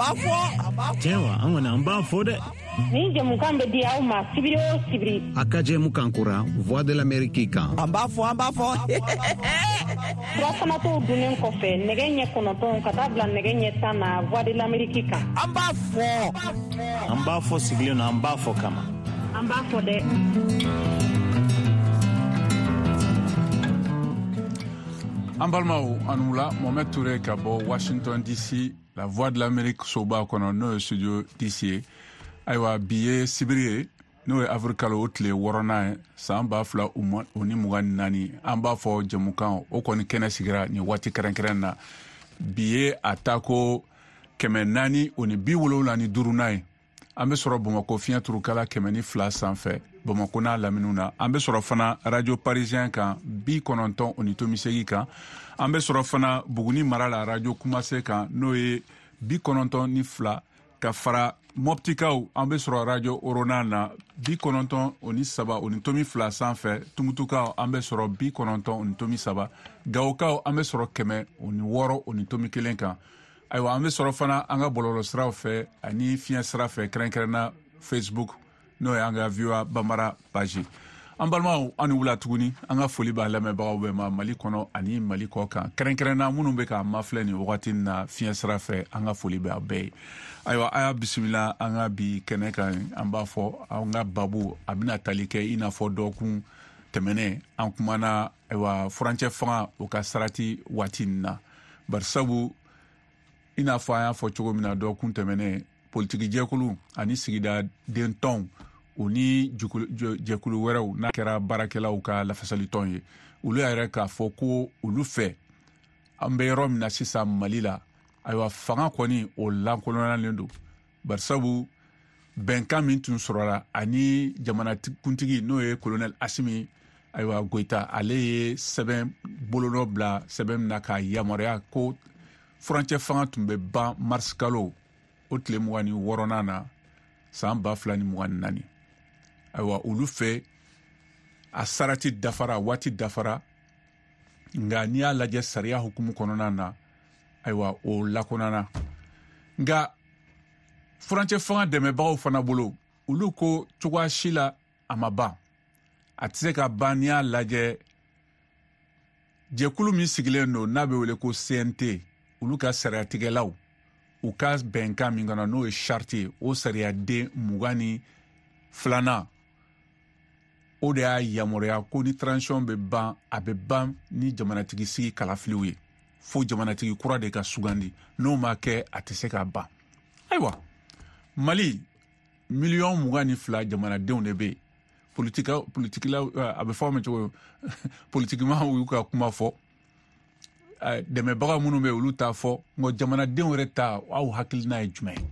b'a fɔ. Tiɲɛ wa, an kɔni an b'a fɔ dɛ. Nin jɛmukan bɛ di aw ma sibiri o sibiri. A ka jɛmukan kura Voix de l'Amérique kan. An b'a fɔ, an b'a fɔ. Furafanatɔw dunnen kɔfɛ nɛgɛ ɲɛ 9 ka taa bila nɛgɛ ɲɛ 10 na Voix de l'Amérique kan. An b'a fɔ. An b'a fɔ sigilen na, an b'a fɔ kama. An b'a fɔ dɛ. An balimaw, aw ni wula. Mohamed Touré ka bɔ Washington DC, La Voix de l'Amérique soba kɔnɔ, n'o ye studio DC ye. Ayiwa, bi ye sibiri ye, n'o ye avril kalo o tile 6nan ye, san 2024. An b'a fɔ jɛmukan o kɔni kɛnɛ sigira nin waati kɛrɛnkɛrɛn na. Bi ye a tako 475nan ye. An bɛ sɔrɔ Bamakɔ fiɲɛ turukala 102 sanfɛ, Bamakɔ n'a laminiw na. An bɛ sɔrɔ fana Radio Parisien kan 90.8 kan. An bɛ sɔrɔ fana Buguni mara la Radio Kumase kan, n'o ye 92, ka fara Moptikaw. An bɛ sɔrɔ Radio Orona na 93.2 sanfɛ. Tumutukaw, an bɛ sɔrɔ 90.3. Gawokaw, an bɛ sɔrɔ 106.1 kan. Ayiwa, an bɛ sɔrɔ fana an ka bɔlɔlɔsiraw fɛ ani fiɲɛ sira fɛ, kɛrɛnkɛrɛnna Facebook, n'o ye an ka VOA Bambara page. An balimaw, an ni wula tuguni. An ka foli b'a lamɛnbagaw bɛɛ ma Mali kɔnɔ ani Mali kɔ kan, kɛrɛnkɛrɛnna minnu bɛ k'an mafilɛ nin wagati na fiɲɛ sira fɛ. An ka foli bɛ a bɛɛ ye. Ayiwa, a y'a bisimila an ka bi kɛnɛ kan. An b'a fɔ an ka babu a bɛna tali kɛ i n'a fɔ dɔgɔkun tɛmɛnen an kumana, ayiwa, furancɛ fanga o ka sarati waati nin na. Barisabu i n'a fɔ an y'a fɔ cogo min na dɔgɔkun tɛmɛnen, politiki jɛkulu ani sigida dentɔnw o ni jɛkulu wɛrɛw, n'a kɛra baarakɛlaw ka lafasalitɔn ye, olu y'a yɛrɛ k'a fɔ ko olu fɛ, an bɛ yɔrɔ min na sisan Mali la, ayiwa, fanga kɔni o lankolonyalen don. Barisabu bɛnkan min tun sɔrɔla ani jamanakuntigi, n'o ye colonel Asimi, ayiwa, Goyita, ale ye sɛbɛn bolonɔ bila sɛbɛn min na k'a yamaruya ko furancɛ fanga tun bɛ ban mars kalo o tile 26nan na, san 2024. Ayiwa, olu fɛ a sarati dafara, waati dafara. Nka n'i y'a lajɛ sariya hukumu kɔnɔna na, ayiwa, o lakonana. Nka furancɛ fanga dɛmɛbagaw fana bolo, olu ko cogoya si la a ma ban, a tɛ se ka ban. N'i y'a lajɛ jɛkulu min sigilen don n'a bɛ wele ko CNT, olu ka sariyatigɛlaw u ka bɛnkan min kɔnɔ, n'o ye charte ye, o sariyaden 22nan, o de y'a yamaruya ko ni transition bɛ ban, a bɛ ban ni jamanatigi sigi kalafiliw ye, fo jamanatigi kura de ka sugandi. N'o ma kɛ, a tɛ se ka ban. Ayiwa, Mali miliyɔn 22 jamanadenw de bɛ yen. Politikilaw, a bɛ fɔ ma cogo, politikimaw y'u ka kuma fɔ, dɛmɛbaga minnu bɛ olu t'a fɔ, nka jamanadenw yɛrɛ ta, aw hakilina ye jumɛn ye?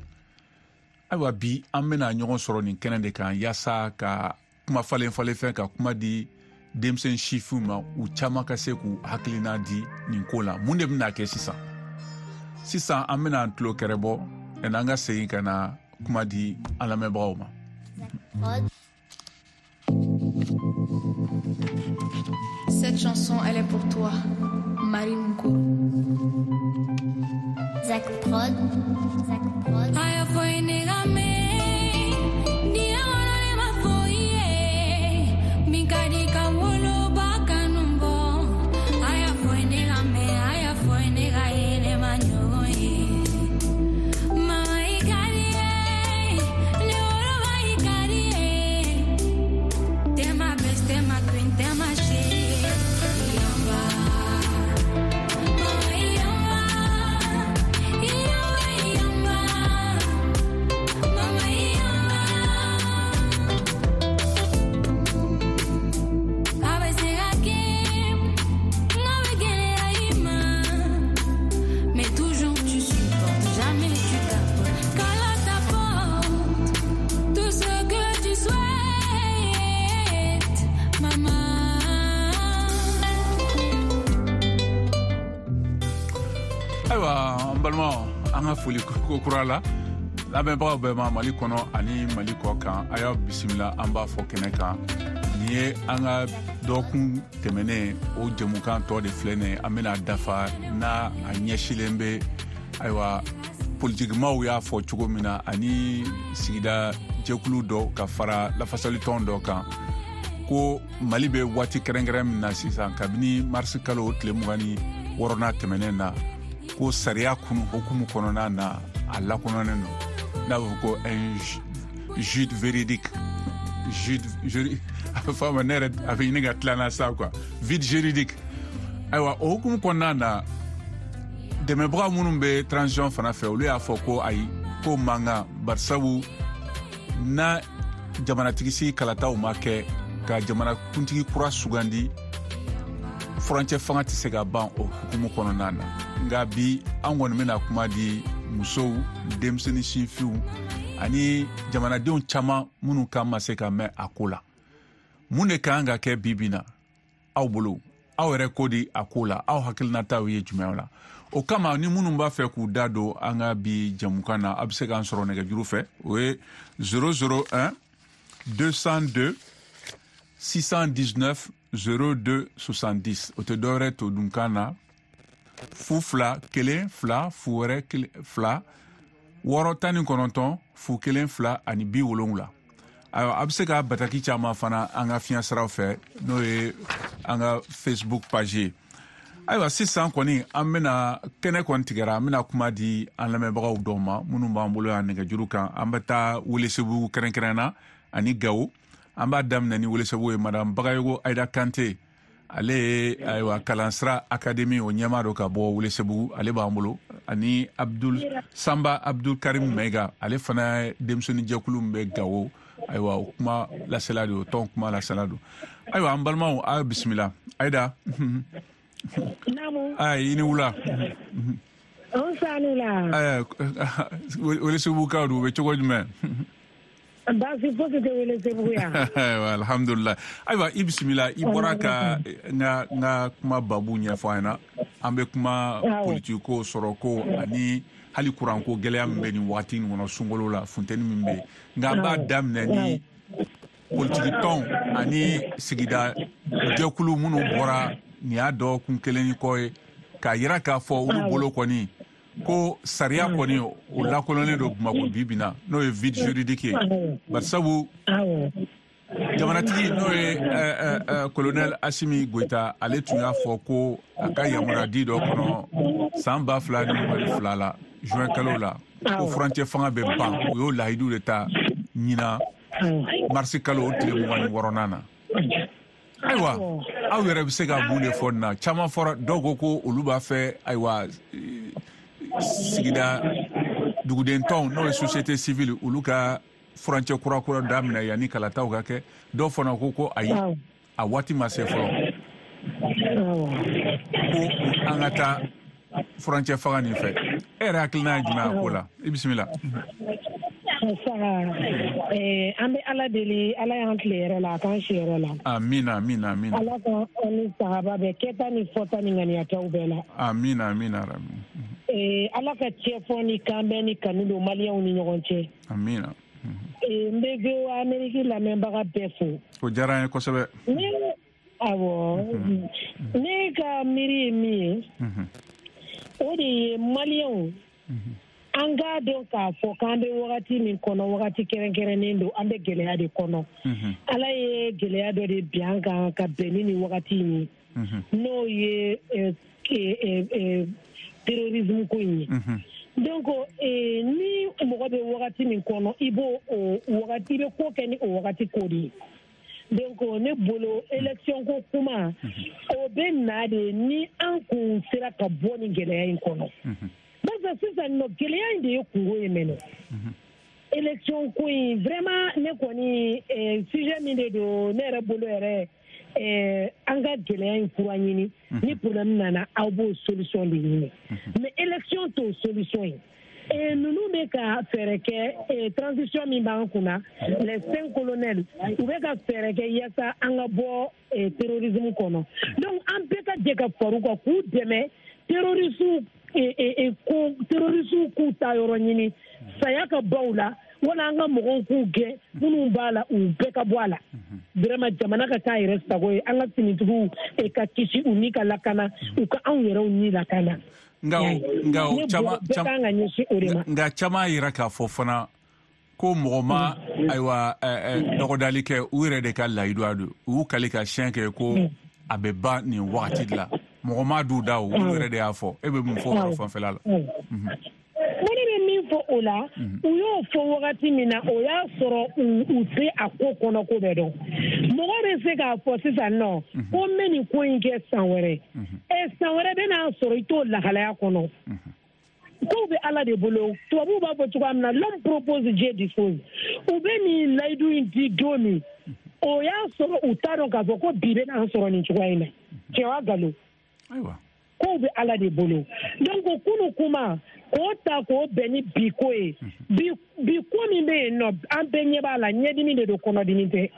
Ayiwa, bi an bɛna ɲɔgɔn sɔrɔ nin kɛnɛ de kan yaasa ka kuma falen falen fɛn, ka kuma di denmisɛn sifinw ma, u caman ka se k'u hakilina di nin ko la. Mun de bɛna kɛ sisan? Sisan an bɛna an tulo kɛrɛ bɔ, an ka segin ka na kuma di an lamɛnbagaw ma. Cette chanson, elle est pour toi, Marie Moukourou. Zach Prod. Zach Prod. Ayiwa, an balimaw, an ka foli ko kura la lamɛnbagaw bɛɛ ma Mali kɔnɔ ani Mali kɔ kan. A y'aw bisimila, an b'a fɔ kɛnɛ kan. Nin ye an ka dɔgɔkun tɛmɛnen o jɛmukan tɔ de filɛ nin ye, an bɛna dafa n'a a ɲɛsilen bɛ, ayiwa, politikimaw y'a fɔ cogo min na ani sigida jɛkulu dɔ ka fara lafasalitɔn dɔ kan ko Mali bɛ waati kɛrɛnkɛrɛn min na sisan kabini marisi kalo tile 26nan tɛmɛnen na ko sariya kunu hukumu kɔnɔna na a lakɔnɔnen don n'a bɛ fɔ ko un jude véridique jude a bɛ fɔ a ma ne yɛrɛ a bɛ ɲini ka tila n na sa quoi vide juridique. Ayiwa o hukumu kɔnɔna na dɛmɛbaga minnu bɛ transition fana fɛ olu y'a fɔ ko ayi ko man kan barisabu na jamanatigi sigi kalataw ma kɛ ka jamanakuntigi kura sugandi furancɛ fanga tɛ se ka ban o hukumu kɔnɔna na. Nka bi an kɔni bɛna kuma di musow denmisɛnnin sifinw ani jamanadenw caman minnu kan ma se ka mɛn a ko la. Mun de kan ka kɛ bi bi na aw bolo aw yɛrɛ ko di a ko la aw hakilinataw ye jumɛn la? O kama ni minnu b'a fɛ k'u da don an ka bi jɛmukan na a bɛ se k'an sɔrɔ nɛgɛjuru fɛ o ye 001 202 619 02 70 o tɛ dɔwɛrɛ to dunkan na 0 2 1 2 0 1 2 6 19 0 1 2 ani 70. Ayiwa a bɛ se ka bataki caman fana an ka fiɲɛ siraw fɛ n'o ye an ka Facebook page ye. Ayiwa sisan kɔni an bɛna kɛnɛ kɔni tigɛra an bɛna kuma di an lamɛnbagaw dɔw ma minnu b'an bolo yan nɛgɛjuru kan. An bɛ taa Welesebugu kɛrɛnkɛrɛn na ani Gawo. An b'a daminɛ ni Welesebugu ye madame Bagayogo Ayida Kante ale ye ayiwa kalansira académie o ɲɛmaa don ka bɔ Welesebugu ale b'an bolo ani Abdul Samba Abdul Karim Maiga ale fana ye denmisɛnnin jɛkulu min bɛ Gawo ayiwa o kuma lasela don o tɔn kuma lasela don. Ayiwa an balimaw a bisimila Ayida. Naamu. Ayi i ni wula. An sani la. Welesebugukaw don u bɛ cogo jumɛn? Baasi fosi tɛ Welesebugu yan. Ayiwa alhamdulilayi. Ayiwa i bisimila i bɔra ka n ka kuma babu ɲɛfɔ an ɲɛna. An bɛ kuma politiki ko sɔrɔ ko ani hali kuranko gɛlɛya min bɛ nin waati in kɔnɔ sunkalo la funteni min bɛ yen. Nka an b'a daminɛ ni politiki tɔnw ani sigida jɛkulu minnu bɔra nin y'a dɔgɔkun kelen ni kɔ ye k'a yira k'a fɔ olu bolo kɔni ko sariya kɔni o lakolonlen don Bamakɔ bi bi na n'o ye vide juridique ye barisabu jamanatigi n'o ye colonel Assimi Goïta ale tun y'a fɔ ko a ka yamaruyadi dɔ kɔnɔ san 2022 la juin kalo la ko furancɛ fanga bɛ ban o y'o lahidu de ta ɲinan marisi kalo o tile 26nan na. Ayiwa aw yɛrɛ bɛ se ka mun de fɔ nin na? Caman fɔra dɔw ko ko olu b'a fɛ ayiwa sigida duguden tɔnw n'o ye société civile olu ka furancɛ kura daminɛ yanni kalataw ka kɛ. Dɔw fana ko ko ayi a waati ma se fɔlɔ ko an ka taa furancɛ fanga nin fɛ. E yɛrɛ hakilina ye jumɛn a ko la? I bisimila. An bɛ Ala deli Ala y'an tile yɛrɛ la a k'an si yɛrɛ la. Amina amina amina. Ala ka an ni sahaba bɛɛ kɛta ni fɔta ni ŋaniyataw bɛɛ la. Amina amina. Ala ka cɛfɔ ni kanbɛn ni kanu don maliyɛnw ni ɲɔgɔn cɛ. Amina. N bɛ VOA Amérique lamɛnbaga bɛɛ fo. O diyara an ye kosɛbɛ. Awɔ. Ne ka miiri ye min ye. O de ye maliyɛnw. An k'a dɔn k'a fɔ k'an bɛ wagati min kɔnɔ wagati kɛrɛnkɛrɛnnen don an bɛ gɛlɛya de kɔnɔ. Ala ye gɛlɛya dɔ de bin an kan ka bɛn ni nin wagati in ye. N'o ye terrorisme ko in ye. Donc ni mɔgɔ bɛ wagati min kɔnɔ i b'o wagati i bɛ ko kɛ ni o wagati ko de ye. Donc ne bolo élection ko kuma o bɛ na de ni an kun sera ka bɔ nin gɛlɛya in kɔnɔ. Barisa sisan nɔ gɛlɛya in de ye kungo ye mɛnɛ. Élection ko in vraiment ne kɔni sujet min de don ne yɛrɛ bolo yɛrɛ an ka gɛlɛya in fura ɲini ni problème nana aw b'o solution de ɲini mais élection t'o solution ye. Ninnu bɛ ka fɛɛrɛ kɛ transition min b'an kunna les 5 colonels u bɛ ka fɛɛrɛ kɛ yaasa an ka bɔ terrorisme kɔnɔ. Donc an bɛɛ ka jɛ ka far'u kan k'u dɛmɛ terroristes terroristes k'u ta yɔrɔ ɲini saya ka baw la wala an ka mɔgɔw k'u gɛn minnu b'a la u bɛɛ ka bɔ a la. Vraiment jamana ka k'a yɛrɛ sago ye an ka finitigiw ka kisi u ni ka lakana u ka anw yɛrɛw ni lakana. Nka caman yira k'a fɔ fana ko mɔgɔ ma ayiwa dɔgɔdali kɛ, u yɛrɛ de ka layidu don, u y'u kali ka siɲɛ kɛ ko a bɛ ban nin wagati de la, mɔgɔ ma d'u da, u yɛrɛ de y'a fɔ. E bɛ mun fɔ o yɔrɔ fanfɛla la? Ne bɛ min fɔ o la, u y'o fɔ wagati min na, o y'a sɔrɔ u tɛ a ko kɔnɔ ko bɛɛ dɔn. Mɔgɔ bɛ se k'a fɔ sisan nɔ ko n bɛ nin ko in kɛ san wɛrɛ, san wɛrɛ bɛ n'a sɔrɔ i t'o lahalaya kɔnɔ. Kow bɛ Ala de bolo, tubabuw b'a fɔ cogoya min na, l'homme propose, Dieu dispose. U bɛ nin layidu in di don min, o y'a sɔrɔ u t'a dɔn k'a fɔ ko bi bɛ n'an sɔrɔ nin cogoya in na. Tiɲɛ wa nkalon? Kow bɛ Ala de bolo. Donc kunu kuma k'o ta k'o bɛn ni bi ko ye, bi ko min bɛ yen nɔ, an bɛɛ ɲɛ b'a la, ɲɛdimi de don, kɔnɔdimi tɛ.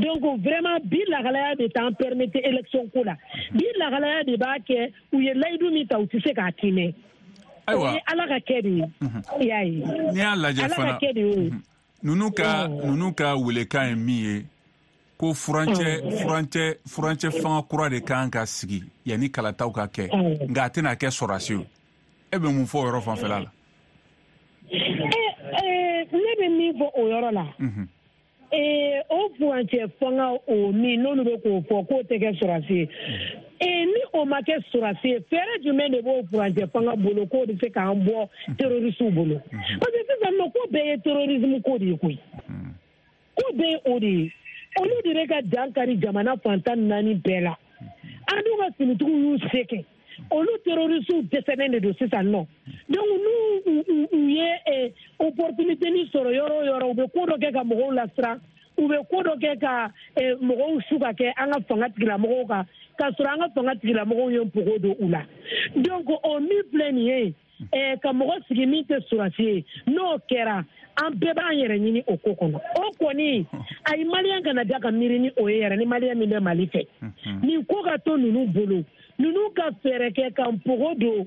Donc vraiment bi lahalaya de t'an permettre élection ko la, bi lahalaya de b'a kɛ u ye layidu min ta u tɛ se k'a tiimɛ. Ayiwa, Ala ka kɛ de ye. I y'a ye, n'i y'a lajɛ fana, ninnu ka welekan ye min ye, ko furancɛ fanga kura de kan ka sigi yanni kalataw ka kɛ, nka a tɛna kɛ sɔrɔdasi ye. E bɛ mun fɔ o yɔrɔ fanfɛla la? Ne bɛ min fɔ o yɔrɔ la, o furancɛ fanga o min n'olu bɛ k'o fɔ k'o tɛ kɛ sɔrɔdasi ye, ni o ma kɛ sɔrɔdasi ye, fɛɛrɛ jumɛn de b'o furancɛ fanga bolo k'o bɛ se k'an bɔ terrorisiw bolo? Parce que sisan nɔ ko bɛɛ ye terrorisme ko de ye koyi, ko bɛɛ ye o de ye. Olu de bɛ ka dan kari jamana fan 14 bɛɛ la. An dun ka finitigiw y'u se kɛ, olu terrorisiw dɛsɛlen de don sisan nɔ. Donc n'u u ye opportunité ni sɔrɔ yɔrɔ o yɔrɔ, u bɛ ko dɔ kɛ ka mɔgɔw lasiran, u bɛ ko dɔ kɛ ka mɔgɔw su ka kɛ an ka fanga tigilamɔgɔw kan, k'a sɔrɔ an ka fanga tigilamɔgɔw ye npogo don u la. Donc o min filɛ nin ye, ka mɔgɔ sigi min tɛ sɔrɔdasi ye, n'o kɛra an bɛɛ b'an yɛrɛ ɲini o ko kɔnɔ. O kɔni ayi, maliyɛn kana da ka miiri ni o ye yɛrɛ, ni maliyɛn min bɛ Mali fɛ. Nin ko ka to ninnu bolo, ninnu ka fɛɛrɛ kɛ ka npogo don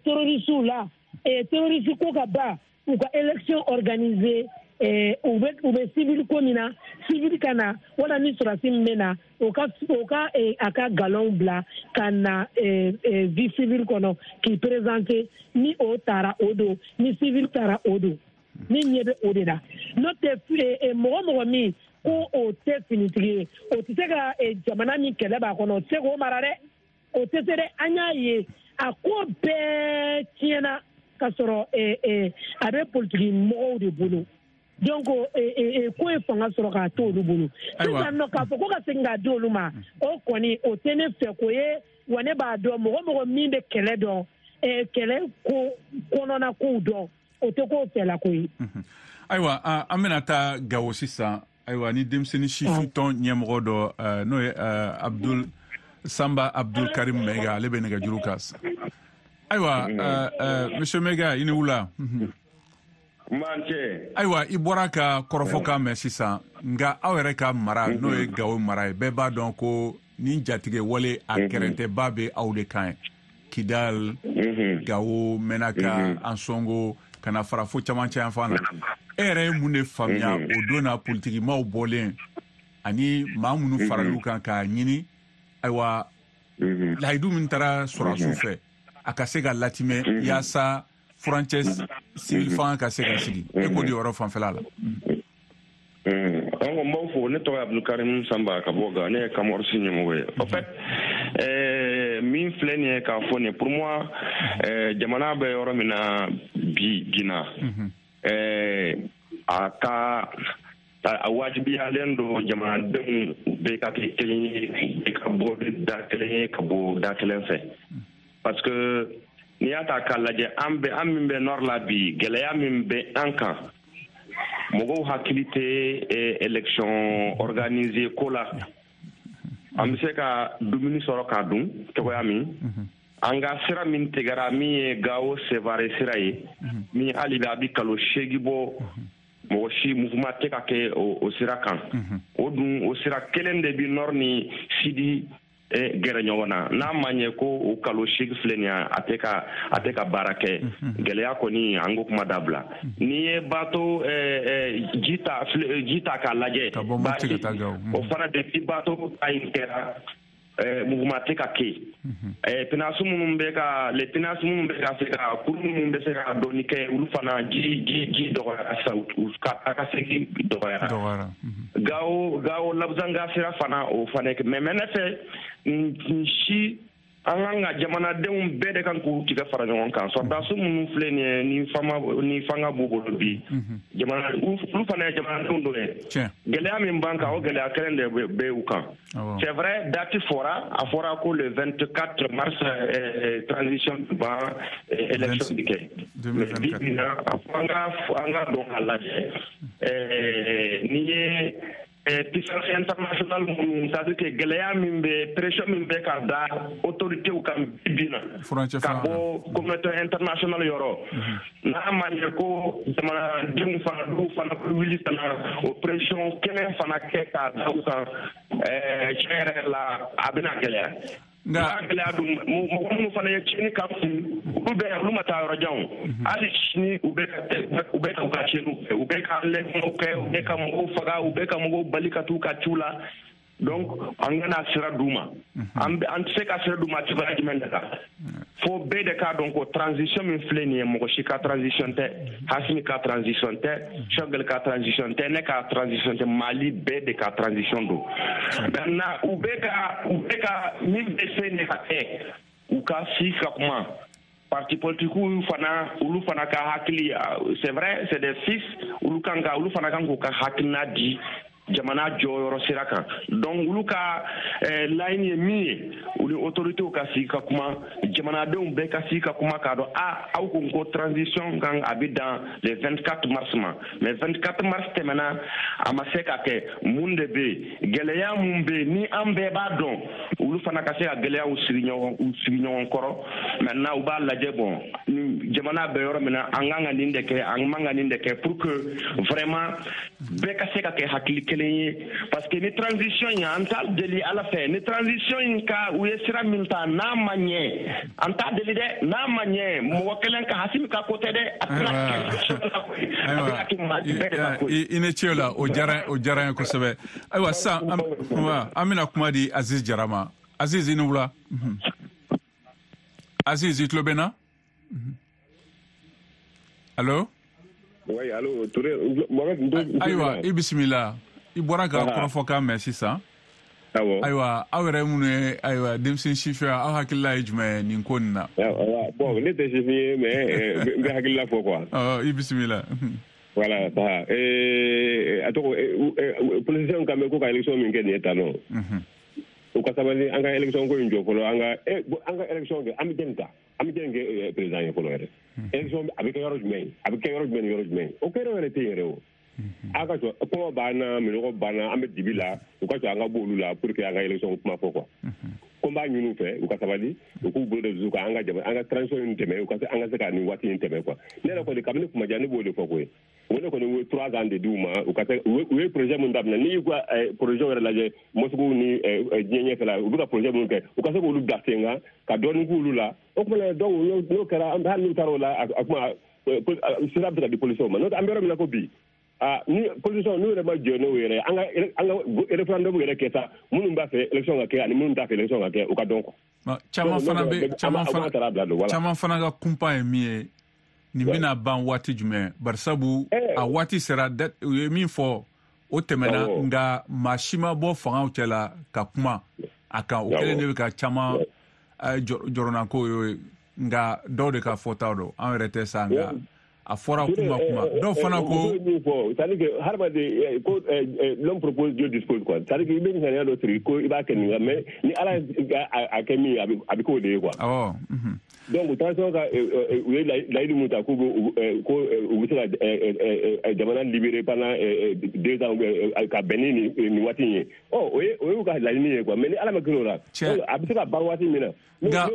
terrorisiw la, terrorisi ko ka ban, u ka élection organiser, u bɛ civil ko min na, civil ka na, wala ni sɔrɔdasi min bɛ na, o ka a ka galon bila ka na vie civile kɔnɔ k'i présenter. Ni o taara o don, ni civil taara o don, ni ɲɛ bɛ o de la. N'o tɛ mɔgɔ min ko o tɛ finitigi ye, o tɛ se ka jamana min kɛlɛ b'a kɔnɔ, o tɛ se k'o mara dɛ, o tɛ se dɛ. An y'a ye a ko bɛɛ tiɲɛna ka sɔrɔ a bɛ politiki mɔgɔw de bolo. Donc ko ye fanga sɔrɔ k'a to olu bolo. Sisan nɔ k'a fɔ ko ka segin k'a di olu ma, o kɔni o tɛ ne fɛ ko ye. Wa ne b'a dɔn mɔgɔ min bɛ kɛlɛ dɔn, kɛlɛ ko kɔnɔna kow dɔn, o tɛ k'o fɛla ko ye. Ayiwa, an bɛna taa Gawo sisan. Ayiwa, ni denmisɛnnin sifin tɔn ɲɛmɔgɔ dɔ, n'o ye Abdul Samba Abdul Karim Maiga, ale bɛ nɛgɛjuru kan. Ayiwa, Monsieur Maiga, i ni wula. Ayiwa, i bɔra ka kɔrɔfɔkan mɛn sisan, nka aw yɛrɛ ka mara, n'o ye Gawo mara ye, bɛɛ b'a dɔn ko nin jatigɛ wale a kɛrɛntɛba bɛ aw de kan ye. Kidal, Gawo, Menaka, Ansongo, ka na fara fo camancɛ yan fan na. E yɛrɛ ye mun de faamuya o don na politikimaw bɔlen ani maa minnu faral'u kan k'a ɲini, ayiwa, layidu min taara sɔrɔdasiw fɛ, a ka se ka latimɛ yaasa furancɛ civil fanga ka se ka sigi? E k'o di yɔrɔ fanfɛla la. An ko n b'aw fo, ne tɔgɔ ye Abdulkarim Samba ka bɔ Gawo, ne ye Kamorisi ɲɛmɔgɔ ye. En fait, min filɛ nin ye k'a fɔ nin ye, pour moi, jamana bɛ yɔrɔ min na bi Gina, a ka a wajibiyalen don jamanadenw bɛɛ ka kɛ kelen ye, bɛɛ ka bɔ da kelen ye, ka bɔ da kelen fɛ. Parce que n'i y'a ta k'a lajɛ, an bɛ an min bɛ nord la bi, gɛlɛya min bɛ an kan, mɔgɔw hakili tɛ élection organisée ko la. An bɛ se ka dumuni sɔrɔ k'a dun cogoya min, an ka sira min tigɛra, min ye Gawo Sevare sira ye, min hali bi a bɛ kalo 8 bɔ, mɔgɔ si mouvement tɛ ka kɛ o sira kan. O dun o sira kelen de bi nord ni sud gɛrɛ ɲɔgɔn na. N'a ma ɲɛ ko o kalo 8 filɛ nin ye, a tɛ ka baara kɛ, gɛlɛya kɔni an ko kuma dabila. N'i ye bato ji ta k'a lajɛ, o fana depuis bato ta in kɛra, Mouvement tɛ ka kɛ pinasi minnu bɛ ka les pinasi minnu bɛ ka se ka kuru minnu bɛ se ka dɔɔni kɛ, olu fana ji dɔgɔyara sisan, a ka segin dɔgɔyara. Gawo Labuzanga sira fana, o fana kɛ, mais ne fɛ nin si, an kan ka jamanadenw bɛɛ de kan k'u tigɛ fara ɲɔgɔn kan. Sɔrɔdasi minnu filɛ nin ye, ni fanga b'u bolo bi, jamana olu fana ye jamanadenw dɔ ye. Gɛlɛya min b'an kan, o gɛlɛya kelen de bɛ u kan. C'est vrai, date fɔra, a fɔra ko le 24 mars transition ban, élection bi kɛ. Mais bi bi na, an ka dɔn k'a lajɛ n'i ye puissance internationale minnu, c'est à dire que gɛlɛya min bɛ, pression min bɛ ka da autorités kan bi bi na ka bɔ communauté internationale yɔrɔ, n'a ma ɲɛ ko jamanadenw fana dɔw fana bɛ wuli ka na o pression kelen fana kɛ k'a da u kan, tiɲɛ yɛrɛ la, a bɛna gɛlɛya. Nka gɛlɛya dun, mɔgɔ minnu fana ye tiɲɛni k'an kun, olu bɛ olu ma taa yɔrɔ jan o. Hali sini u bɛ ka u ka tiɲɛniw kɛ, u bɛ ka enlèvement kɛ, u bɛ ka mɔgɔw faga, u bɛ ka mɔgɔw bali ka t'u ka ciw la. Donc an kana sira d'u ma. An tɛ se ka sira d'u ma cogoya jumɛn de la? Fo bɛɛ de k'a dɔn ko transition min filɛ nin ye, mɔgɔ si ka transition tɛ. Hasimi ka transition tɛ, Choguel ka transition tɛ, ne ka transition tɛ, Mali bɛɛ de ka transition don. Maintenant u bɛ ka min bɛ se ne ka kɛ, u ka si ka kuma. Parti politique fana, olu fana ka hakili, c'est vrai, c'est des fils, olu fana kan k'u ka hakilina di jamana jɔyɔrɔ sira kan. Donc olu ka laɲini ye min ye, olu autorités ka sigi ka kuma, jamanadenw bɛɛ ka sigi ka kuma k'a dɔn a aw ko transition kan a bɛ dan le 24 mars ma, mais 24 mars tɛmɛna, a ma se ka kɛ. Mun de bɛ yen? Gɛlɛya mun bɛ yen ni an bɛɛ b'a dɔn? Olu fana ka se ka gɛlɛyaw sigi ɲɔgɔn u sigi ɲɔgɔn kɔrɔ. Maintenant u b'a lajɛ, bon, jamana bɛ yɔrɔ min na, an kan ka nin de kɛ, an man ka nin de kɛ, pour que vraiment bɛɛ ka se ka kɛ hakili kelen ye. Parce que ni transition in, an t'a deli Ala fɛ, ni transition in ka u ye sira min ta, n'a ma ɲɛ, an t'a deli dɛ, n'a ma ɲɛ, mɔgɔ kelen ka Hasimi ka ko tɛ dɛ, a tɛna kɛ Mali bɛɛ de ka ko ye. I ni ce o la, o diyara n ye kosɛbɛ. Ayiwa, sisan an bɛna kuma di Aziz Jara ma. Aziz, i ni wula. Aziz, i tulo bɛ n na? Allo? Oui, allo, Touré, Mohamed. Ayiwa, i bisimila. I bɔra ka kɔrɔfɔkan mɛn sisan. Awɔ. Ayiwa, aw yɛrɛ minnu ye, ayiwa, denmisɛn sifin, aw hakilila ye jumɛn ye nin ko nin na? Bon, ne tɛ sifin ye, mais n bɛ hakilila fɔ quoi. Ɔ, i bisimila. Voilà, ça. A tɔgɔ, politicien kan bɛ ko ka élection min kɛ nin ye tan nɔ. U ka sabali, an ka élection ko in jɔ fɔlɔ, an ka élection kɛ, an bɛ jɛni ta, an bɛ jɛni kɛ président ye fɔlɔ yɛrɛ. Élection a bɛ kɛ yɔrɔ jumɛn? A bɛ kɛ yɔrɔ jumɛn ni yɔrɔ jumɛn? O kɛ yɔrɔ yɛrɛ tɛ yen yɛrɛ o. A ka jɔ, kɔngɔ b'an na, minɔgɔ b'an na, an bɛ dibi la, u ka jɔ an ka bɔ olu la pour que an ka élection kuma fɔ quoi. Ko n b'a ɲini u fɛ, u ka sabali, u k'u bolo da dusu kan, an ka jama, an ka transition in tɛmɛ, u ka se an ka se ka nin waati in tɛmɛ quoi. Ne yɛrɛ kɔni, kabini kuma jan ne b'o de fɔ koyi. O ne kɔni, u ye 3 ans de d'u ma, u ka se u ye projet mun daminɛ. N'i y'u ka projet yɛrɛ lajɛ, mosquée ni diɲɛ ɲɛfɛla, u bɛ ka projet minnu kɛ, u ka se k'olu bila sen kan ka dɔɔnin k'olu la. O tuma na, donc n'o kɛra, hali n'u taara o la, a kuma sira bɛ se ka di policiers ma. N'o tɛ, an bɛ yɔrɔ min na ko bi, ah, ni politicien n'u yɛrɛ ma jɔ n'o yɛrɛ, an ka référendum yɛrɛ kɛ sa, minnu b'a fɛ élection ka kɛ ani minnu t'a fɛ élection ka kɛ, u ka dɔn quoi. Caman fana bɛ caman fana taara bila don, voilà. Caman fana ka kunpan ye min ye, nin bɛna ban waati jumɛn? Barisabu a waati sera, u ye min fɔ, o tɛmɛna, nka maa si ma bɔ fangaw cɛ la ka kuma a kan. O kɛlen de bɛ ka caman jɔrɔnako ye, nka dɔw de ka fɔtaw don, an yɛrɛ tɛ sa, nka a fɔra kuma kuma dɔw fana ko. Min fɔ, c'est à dire que hadamaden ko l'homme propose, Dieu dispose quoi. C'est à dire que i bɛ ŋaniya dɔ siri ko i b'a kɛ nin kan, mais ni Ala ye a kɛ min ye, a bɛ k'o de ye quoi. Donc transition ka u ye layidu mun ta k'u bɛ ko u bɛ se ka jamana libérer pendant 2 ans ka bɛn ni nin waati in ye, ɔ o y'u ka laɲini ye quoi. Mais ni Ala ma kɛ o la, a bɛ se ka ban waati min na. Nka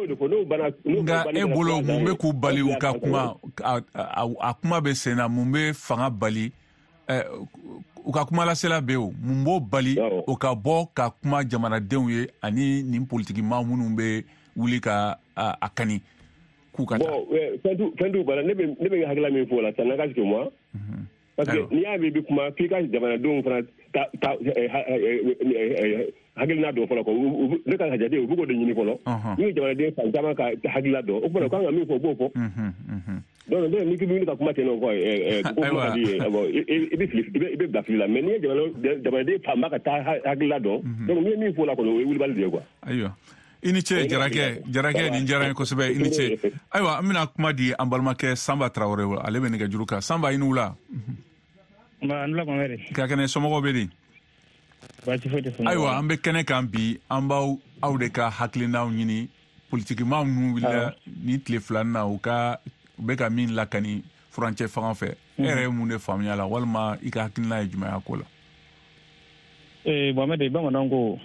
e bolo, mun bɛ k'u bali u ka kuma? A kuma bɛ sen na, mun bɛ fanga bali u ka kumalasela bɛ o? Mun b'o bali o ka bɔ ka kuma jamanadenw ye ani nin politikimaa minnu bɛ wuli ka a kani k'u ka taa? Bon, fɛn t'u bala. Ne bɛ hakilila min fɔ o la, ça n'engage que moi. Parce que n'i y'a mɛn i bɛ kuma f'i ka jamanadenw fana ta hakilina dɔn fɔlɔ quoi. Ne ka jate u bɛ k'o de ɲini fɔlɔ. N'u ye jamanaden fan caman ka hakilina dɔn, o tuma u kan ka min fɔ u b'o fɔ. Donc n'i k'i bɛ wuli ka kuma ten nɔ quoi, ko kuma ka di ye, i bɛ fili, i bɛ bila fili la. Mais n'i ye jamanaden fanba ka taa hakilina dɔn, donc n'i ye min fɔ o la kɔni, o ye wulibali de ye quoi. Ayiwa, i ni ce Jarakɛ, nin diyara n ye kosɛbɛ, i ni ce. Ayiwa, an bɛna kuma di an balimakɛ Sanba Tarawele, ale bɛ nɛgɛjuru kan. Sanba, i ni wula. Ka kɛnɛ, somɔgɔw bɛ di? Ayiwa, an bɛ kɛnɛ kan bi, an b'aw aw de ka hakilinaw ɲini. Politikimaa minnu wulila ni tile fila na, u ka u bɛ ka min lakani furancɛ fanga fɛ, e yɛrɛ ye mun de faamuya la, walima i ka hakilina ye jumɛn ye ko la? Mohamed, bamananw ko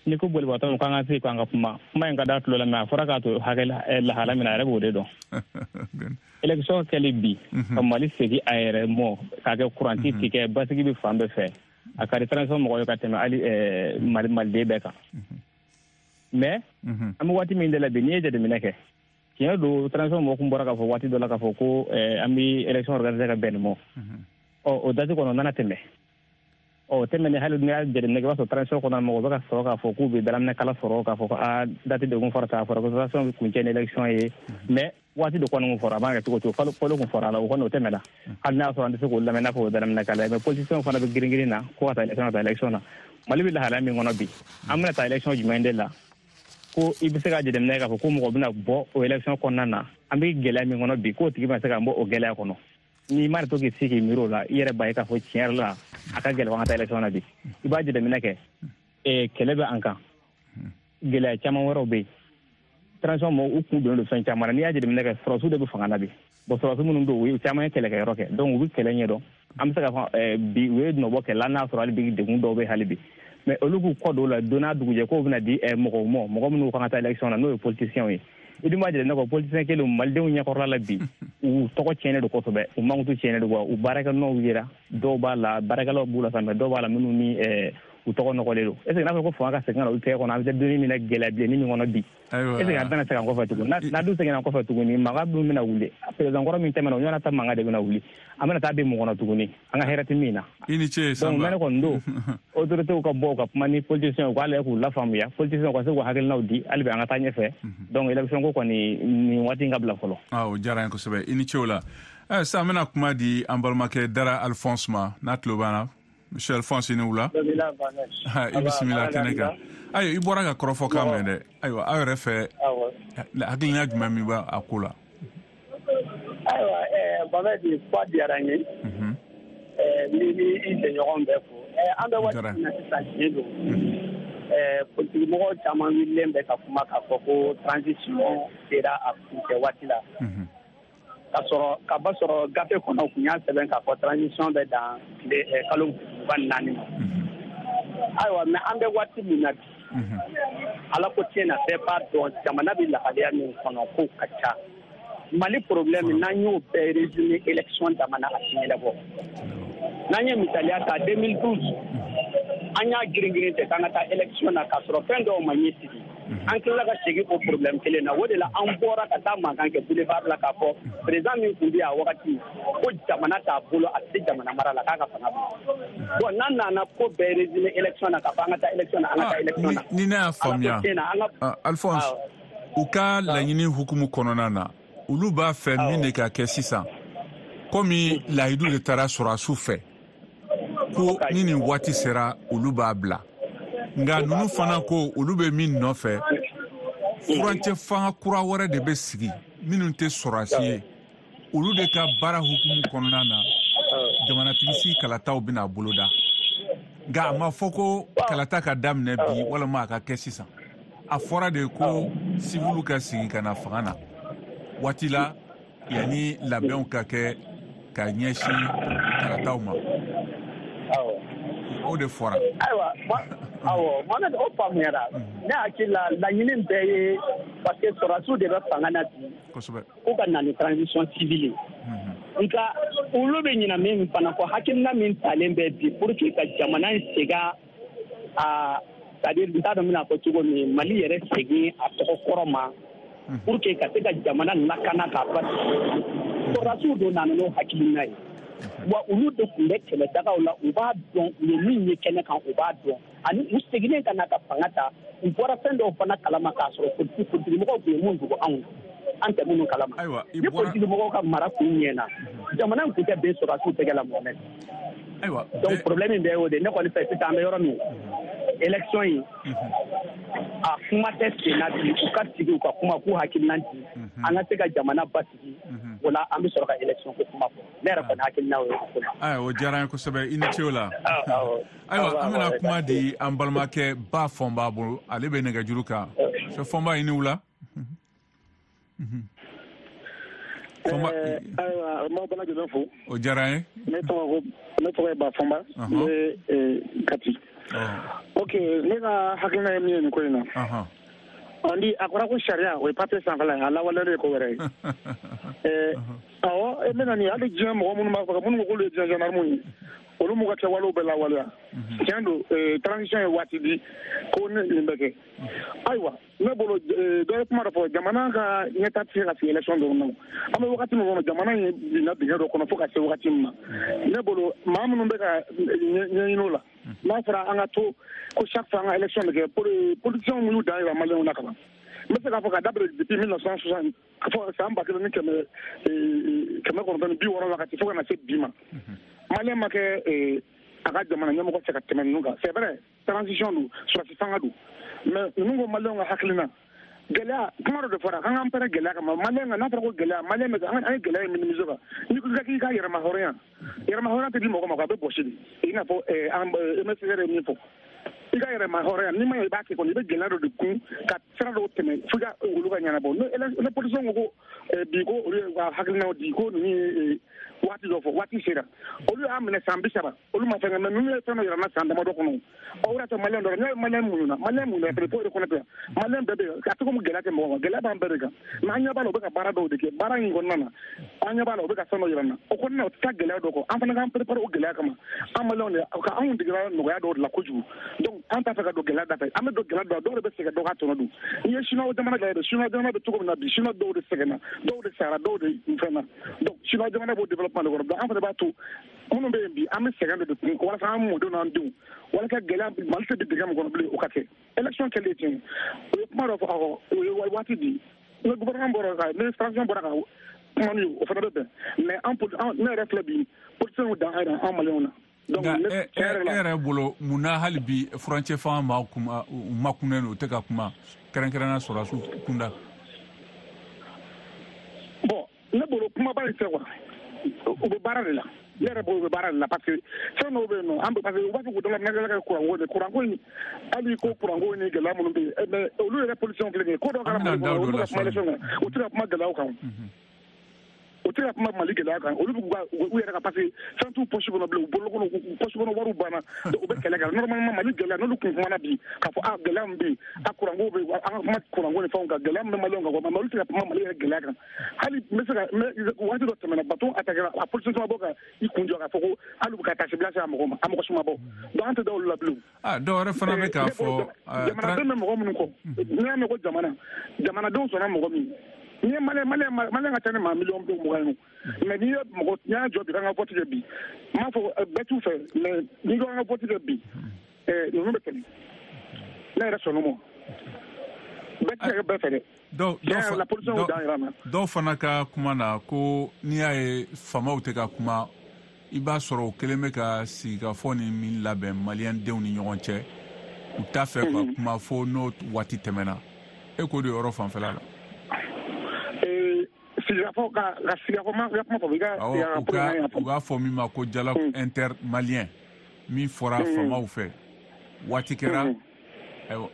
n'i ko bolibagatɔ k'an ka se k'an ka kuma kuma in ka da tulo la, mais a fɔra k'a to hakɛ lahala min na, a yɛrɛ b'o de dɔn. Élection kɛli bi ka Mali segin a yɛrɛ mɔ k'a kɛ kuranti tigɛ, basigi bɛ fan bɛɛ fɛ, a ka di transition mɔgɔw ye ka tɛmɛ hali maliden bɛɛ kan. Mais an bɛ waati min de la bi, n'i ye jateminɛ kɛ, tiɲɛ don, transition mɔgɔw kun bɔra k'a fɔ waati dɔ la k'a fɔ ko an bɛ élection organiser ka bɛn nin mɔ. Ɔ o date kɔnɔ nana tɛmɛ. Ɔ tɛmɛnen, hali n'i y'a jateminɛ kɛ, i b'a sɔrɔ transition kɔnɔ mɔgɔw bɛ ka sɔrɔ k'a fɔ k'u bɛ dalaminɛ kala sɔrɔ k'a fɔ ko aa date de kun fɔra tan, a fɔra ko transition bɛ kuncɛ ni élection ye, mais waati de kɔni kun fɔra, a b'a kɛ cogo cogo, kalo kun fɔra a la, o kɔni o tɛmɛna. Hali n'a sɔrɔ an tɛ se k'o lamɛn n'a fɔ o dalaminɛ kala ye, mais politiciens fana bɛ girin girin na ko ka taa élection, ka taa élection na. Mali bɛ lahalaya min kɔnɔ bi, an bɛna taa élection jumɛn de la ko i bɛ se ka jateminɛ k'a fɔ ko mɔgɔ bɛna bɔ o élection kɔnɔna na? An bɛ gɛlɛya min kɔnɔ bi, k'o tigi bɛna se ka bɔ o gɛlɛya kɔnɔ? N'i ma to k'i sigi k'i miiri o la, i yɛrɛ b'a ye k'a fɔ tiɲɛ yɛrɛ la, a ka gɛlɛn an ka taa élection na bi. I b'a jateminɛ kɛ, kɛlɛ bɛ an kan, gɛlɛya caman wɛrɛw bɛ yen. Transition mɔgɔw u kun donnen don fɛn caman na. N'i y'a jateminɛ kɛ, sɔrɔdasiw de bɛ fanga na bi. Bon, sɔrɔdasi minnu don, u ye caman ye kɛlɛkɛyɔrɔ kɛ, donc u bɛ kɛlɛ ɲɛdɔn. An bɛ se k'a fɔ bi u ye nɔbɔ kɛlɛ la, n'a sɔrɔ hali bi degun dɔw bɛ hali bi, mais olu k'u kɔ don o la don n'a dugujɛ k'o bɛna di mɔgɔw ma, mɔgɔ minnu kan ka taa élection na, n'o ye politiciens ye. I dun b'a jateminɛ kɔ, politicien kelen malidenw ɲɛkɔrɔla la bi, u tɔgɔ tiɲɛnen don kosɛbɛ, u mankutu tiɲɛnen don wa, u baarakɛnɔw yera, dɔw b'a la baarakɛlaw b'u la sa, mais dɔw b'a la minnu ni u tɔgɔ nɔgɔlen don. Est ce que n'a fɔra ko fanga ka segin ka na olu tɛgɛ kɔnɔ, an bɛ taa donni min na, gɛlɛya bilenni min kɔnɔ bi, est ce que an tɛna segin an kɔfɛ tuguni? N'a dun seginna kɔfɛ tuguni, mankan dun bɛna wuli. Président kɔrɔ min tɛmɛna, o ɲɔgɔnna ta mankan de bɛna wuli. An bɛna taa bin mun kɔnɔ tuguni, an ka hɛrɛ tɛ min na. I ni ce, Sanba. Donc ne kɔni don, autorités ka bɔ u ka kuma ni politiciens, u k'a lajɛ k'u lafaamuya, politiciens ka se k'u hakilinaw di hali bi an ka taa ɲɛfɛ. Donc élection ko kɔni nin waati in ka bila fɔlɔ. O diyara n ye kosɛbɛ, i ni ce o la. Sisan an bɛna kuma di an balimakɛ Dara Alphonse ma, n'a tulo b'an na. Monsieur Alphonse, i ni wula. I bisimila kɛnɛ kan. Ayiwa, i bɔra ka kɔrɔfɔ kan mɛn dɛ. Ayiwa, aw yɛrɛ fɛ, hakilina jumɛn min b'a a ko la? Ayiwa, Mohamed, kuma diyara n ye. N b'i i jɛɲɔgɔn bɛɛ fo. An bɛ waati min na sisan, tiɲɛ don, politikimɔgɔw caman wulilen bɛ ka kuma k'a fɔ ko transition sera a kuncɛ waati la. Ka sɔrɔ ka ba sɔrɔ gafe kɔnɔ kun y'a sɛbɛn k'a fɔ transition bɛ dan tile kalo 24 ma. Ayiwa, mais an bɛ waati min na bi, Ala ko tiɲɛ na, bɛɛ b'a dɔn jamana bɛ lahalaya min kɔnɔ, kow ka ca. Mali problème, n'an y'o bɛɛ résumé élection dama na, a ti ɲɛnabɔ. N'an ye misaliya ta, 2012, an y'a girin-girin tɛ k'an ka taa élection na k'a sɔrɔ fɛn dɔw ma ɲɛ sigi. An tilala ka segin o problème kelen na. O de la an bɔra ka taa mankan kɛ boulevard la k'a fɔ président min tun bɛ yen a wagati, ko jamana t'a bolo, a tɛ se jamana mara la, k'a ka fanga bila. Bon, n'an nana ko bɛɛ résumé élection na k'a fɔ an ka taa élection na, an ka taa élection na. Ni ne y'a faamuya, Alphonse, u ka laɲini hukumu kɔnɔna na, olu b'a fɛ min de ka kɛ sisan, komi layidu de taara sɔrɔdasiw fɛ ko ni nin waati sera olu b'a bila, nka ninnu fana ko olu bɛ min nɔfɛ, furancɛ fanga kura wɛrɛ de bɛ sigi minnu tɛ sɔrɔdasi ye, olu de ka baara hukumu kɔnɔna na jamanatigisigi kalataw bɛna boloda. Nka a ma fɔ ko kalata ka daminɛ bi walima a ka kɛ sisan. A fɔra de ko siviliw ka sigi ka na fanga na waati la yanni labɛnw ka kɛ ka ɲɛsin kalataw ma. O de fɔra. Ayiwa, awɔ, Mohamed, o faamuyara. Ne hakili la, laɲini bɛɛ ye parce que sɔrɔdasiw de bɛ fanga na bi. Kosɛbɛ. K'u ka na ni transition civile ye. Nka olu bɛ ɲina min fana kɔ, hakilina min talen bɛ bi pour que ka jamana in segin a, c'est à dire n t'a dɔn n bɛna fɔ cogo min, Mali yɛrɛ segin a tɔgɔ kɔrɔ ma, pour que ka se ka jamana lakana k'a basigi. Sɔrɔdasiw don nana n'o hakilina ye. Wa olu de tun bɛ kɛlɛdagaw la, u b'a dɔn u ye min ye kɛnɛ kan, u b'a dɔn. Ani u seginnen ka na ka fanga ta, u bɔra fɛn dɔw fana kalama k'a sɔrɔ politikimɔgɔw tun ye mun dogo anw na, an tɛ minnu kalama. Ni politikimɔgɔw ka mara kun ɲɛna, jamana in tun tɛ bɛn sɔrɔdasiw tɛgɛ la, Mohamed. Donc problème in bɛɛ y'o de ye. Ne kɔni fɛ sisan, an bɛ yɔrɔ min, élection in a kuma tɛ sen na bi. U ka sigi, u ka kuma, k'u hakilina di, an ka se ka jamana basigi. O la, an bɛ sɔrɔ ka élection ko kuma fɔ. Ne yɛrɛ kɔni hakilina o ye o ko la. Ayiwa, o diyara an ye kosɛbɛ, i ni ce o la. Ayiwa, an bɛna kuma di an balimakɛ Ba Fɔnba bolo, ale bɛ nɛgɛjuru kan. Fɔnba, i ni wula. Ayiwa, n b'aw bɛɛ lajɛlen fo. O diyara an ye. Ne tɔgɔ ye Ba Fɔnba, n bɛ Kati. Ok, ne ka hakilina ye min ye nin ko in na, on dit a kɔrɔ ko sariya, o ye papier sanfɛla ye, a lawaleyali ye ko wɛrɛ ye. Awɔ, n bɛna nin hali diɲɛ mɔgɔ minnu b'a fɔ, minnu ko k'olu ye diɲɛ gendarme ye, olu m'u ka kɛwalew bɛɛ lawaleya. Tiɲɛ don, transition ye waati di ko nin bɛ kɛ. Ayiwa, ne bolo, dɔ ye kuma dɔ fɔ, jamana ka ɲɛta tɛ se ka sigi élection dɔrɔn na. An bɛ wagati min kɔnɔ, jamana in binna dingɛ dɔ kɔnɔ fo ka se wagati min ma. Ne bolo, maa minnu bɛ ka ɲɛɲini o la, n'a fɔra an ka to ko chaque fois an ka élection bɛ kɛ, politiciens y'u dan yira maliyɛnw na ka ban. N bɛ se k'a fɔ ka daminɛ depuis 1960, fo san 1960 wagati, fo ka na se bi ma, maliyɛn ma kɛ a ka jamana ɲɛmɔgɔ fɛ ka tɛmɛ ninnu kan. C'est vrai, transition don, sɔrɔsi fanga don, mais ninnu ko maliyɛnw ka hakilina gɛlɛya kuma dɔ de fɔra k'an k'an pɛrɛn gɛlɛya kama. Maliyɛn kan, n'a fɔra ko gɛlɛya, maliyɛn bɛ an ye gɛlɛya in minimiser kan. N'i ko k'i ka yɛrɛma hɔrɔnya, yɛrɛma hɔrɔnya tɛ di mɔgɔ ma, a bɛ bɔsi de. I n'a fɔ an MSR ye min fɔ, i ka yɛrɛma hɔrɔnya, n'i ma ɲɛ i b'a kɛ kɔni, i bɛ gɛlɛya dɔ de kun ka sira dɔw tɛmɛ fo i ka olu ka ɲɛnabɔ. Ne politicien ko bi ko olu ye ka hakilinaw di, ko ninnu ye waati dɔ fɔ, waati sera, olu y'a minɛ san 30, olu ma fɛn kɛ. Mais ninnu ye fɛn dɔ yira n na san damadɔ kɔnɔ. O yɛrɛ tɛ maliyɛn dɔrɔn, ne ye maliyɛn muɲuna, maliyɛn muɲuna fɛnɛ, fo reconnaître maliyɛn bɛɛ bɛ yen. A tɛ komi gɛlɛya tɛ mɔgɔ kan, gɛlɛya b'an bɛɛ de kan. Mais an ɲɛ b'a la, u bɛ ka baara dɔw de kɛ. Baara in kɔnɔna na, an ɲɛ b'a la, u bɛ ka fɛn dɔ yira n na. O kɔnɔna na, o tɛ taa gɛlɛya dɔ kɔ. An fana k'an préparer o gɛlɛya kama. An maliyɛnw de ka anw degera nɔgɔya dɔw de la kojugu. Donc an t'a fɛ ka don gɛlɛya da fɛ. An bɛ don gɛlɛya dɔ, dɔw de bɛ sɛgɛn, dɔw ka tɔnɔ dun. N'i ye Chinois jamana lajɛ, Chinois jamana bɛ cogo min na bi, Chinois dɔw de sɛgɛnna, dɔw de sara, dɔw de fɛn na. Donc Chinois jamana b'o développement de kɔnɔ. Donc an fana b'a to minnu bɛ yen bi, an bɛ sɛgɛn dɔ de kun walasa an mɔdenw n'an denw, walasa gɛlɛya Mali tɛ bin dingɛ min kɔnɔ bilen, o ka kɛ. Élection kɛlen tiɲɛ, o ye kuma dɔ fɔ, awɔ, o ye waati di. Ni gouvernement bɔra ka, ni transition bɔra ka kuma n'u ye, o fana bɛ bɛn. Mais an ne yɛrɛ filɛ bi, politiciens dan an maliyɛnw na. Nka e yɛrɛ bolo, mun na hali bi furancɛ fanga maaw makunnen don, u tɛ ka kuma, kɛrɛnkɛrɛnnenya sɔrɔdasiw kunda? Bon, ne bolo kumaba in tɛ quoi, u bɛ baara de la. Ne yɛrɛ bolo, u bɛ baara de la, parce que fɛn dɔw bɛ yen nɔ, an bɛ, parce que u b'a fɔ k'u dala nɛgɛ kɛ kuranko de, kuranko in, hali ko kuranko ni gɛlɛya minnu bɛ yen, mais olu yɛrɛ politiciens filɛ nin ye, ko dɔ kɛra Mali kɔnɔ, olu bɛ ka kuma élection kan, u tɛ ka kuma gɛlɛyaw kan. U tɛ ka kuma Mali gɛlɛya kan. Olu bɛ u yɛrɛ ka, parce que fɛn t'u poche kɔnɔ bilen, u bolo kɔnɔ, poche kɔnɔ wariw banna, u bɛ kɛlɛ kɛ. Normalement Mali gɛlɛya, n'olu kun kumana bi k'a fɔ a gɛlɛya min bɛ yen, a kuranko bɛ yen, an ka kuma kuranko ni fɛnw kan, gɛlɛya min bɛ maliyɛnw kan, mais olu tɛ ka kuma Mali yɛrɛ gɛlɛya kan. Hali n bɛ se ka waati dɔ tɛmɛna, bateau attaquera, a politicien ma bɔ ka i kun jɔ k'a fɔ ko hali u bɛ ka taasibila se a mɔgɔ ma, a mɔgɔ si ma bɔ. Donc an tɛ da olu la bilen. Dɔw wɛrɛ fana bɛ k'a fɔ jamanaden bɛ mɔgɔ minnu kɔ, n'i y'a mɛn ko jamana, jamanadenw sɔnna mɔgɔ min, n'i ye maliyɛn ka ca ni maa miliyɔn 20 ye, mais n'i ye mɔgɔ, n'i y'a jɔ bi k'an ka vote kɛ bi, n m'a fɔ bɛɛ t'u fɛ, mais n'i ko an ka vote kɛ bi, ninnu bɛ tɛmɛ. Ne yɛrɛ sɔnn'o ma. Bɛɛ tɛ se ka kɛ bɛɛ fɛ dɛ. Dɔw fana ka kuma na ko n'i y'a ye faamaw tɛ ka kuma, i b'a sɔrɔ o kelen bɛ ka sigikafɔ ni min labɛn maliyɛn denw ni ɲɔgɔn cɛ, u t'a fɛ ka kuma fo n'o waati tɛmɛna. E k'o de yɔrɔ fanfɛla la. Sigikafɔ ka sigikafɔ ma kuma fɔ i ka. U b'a fɔ min ma ko dialogue intermalien, min fɔra faamaw fɛ waati kɛra,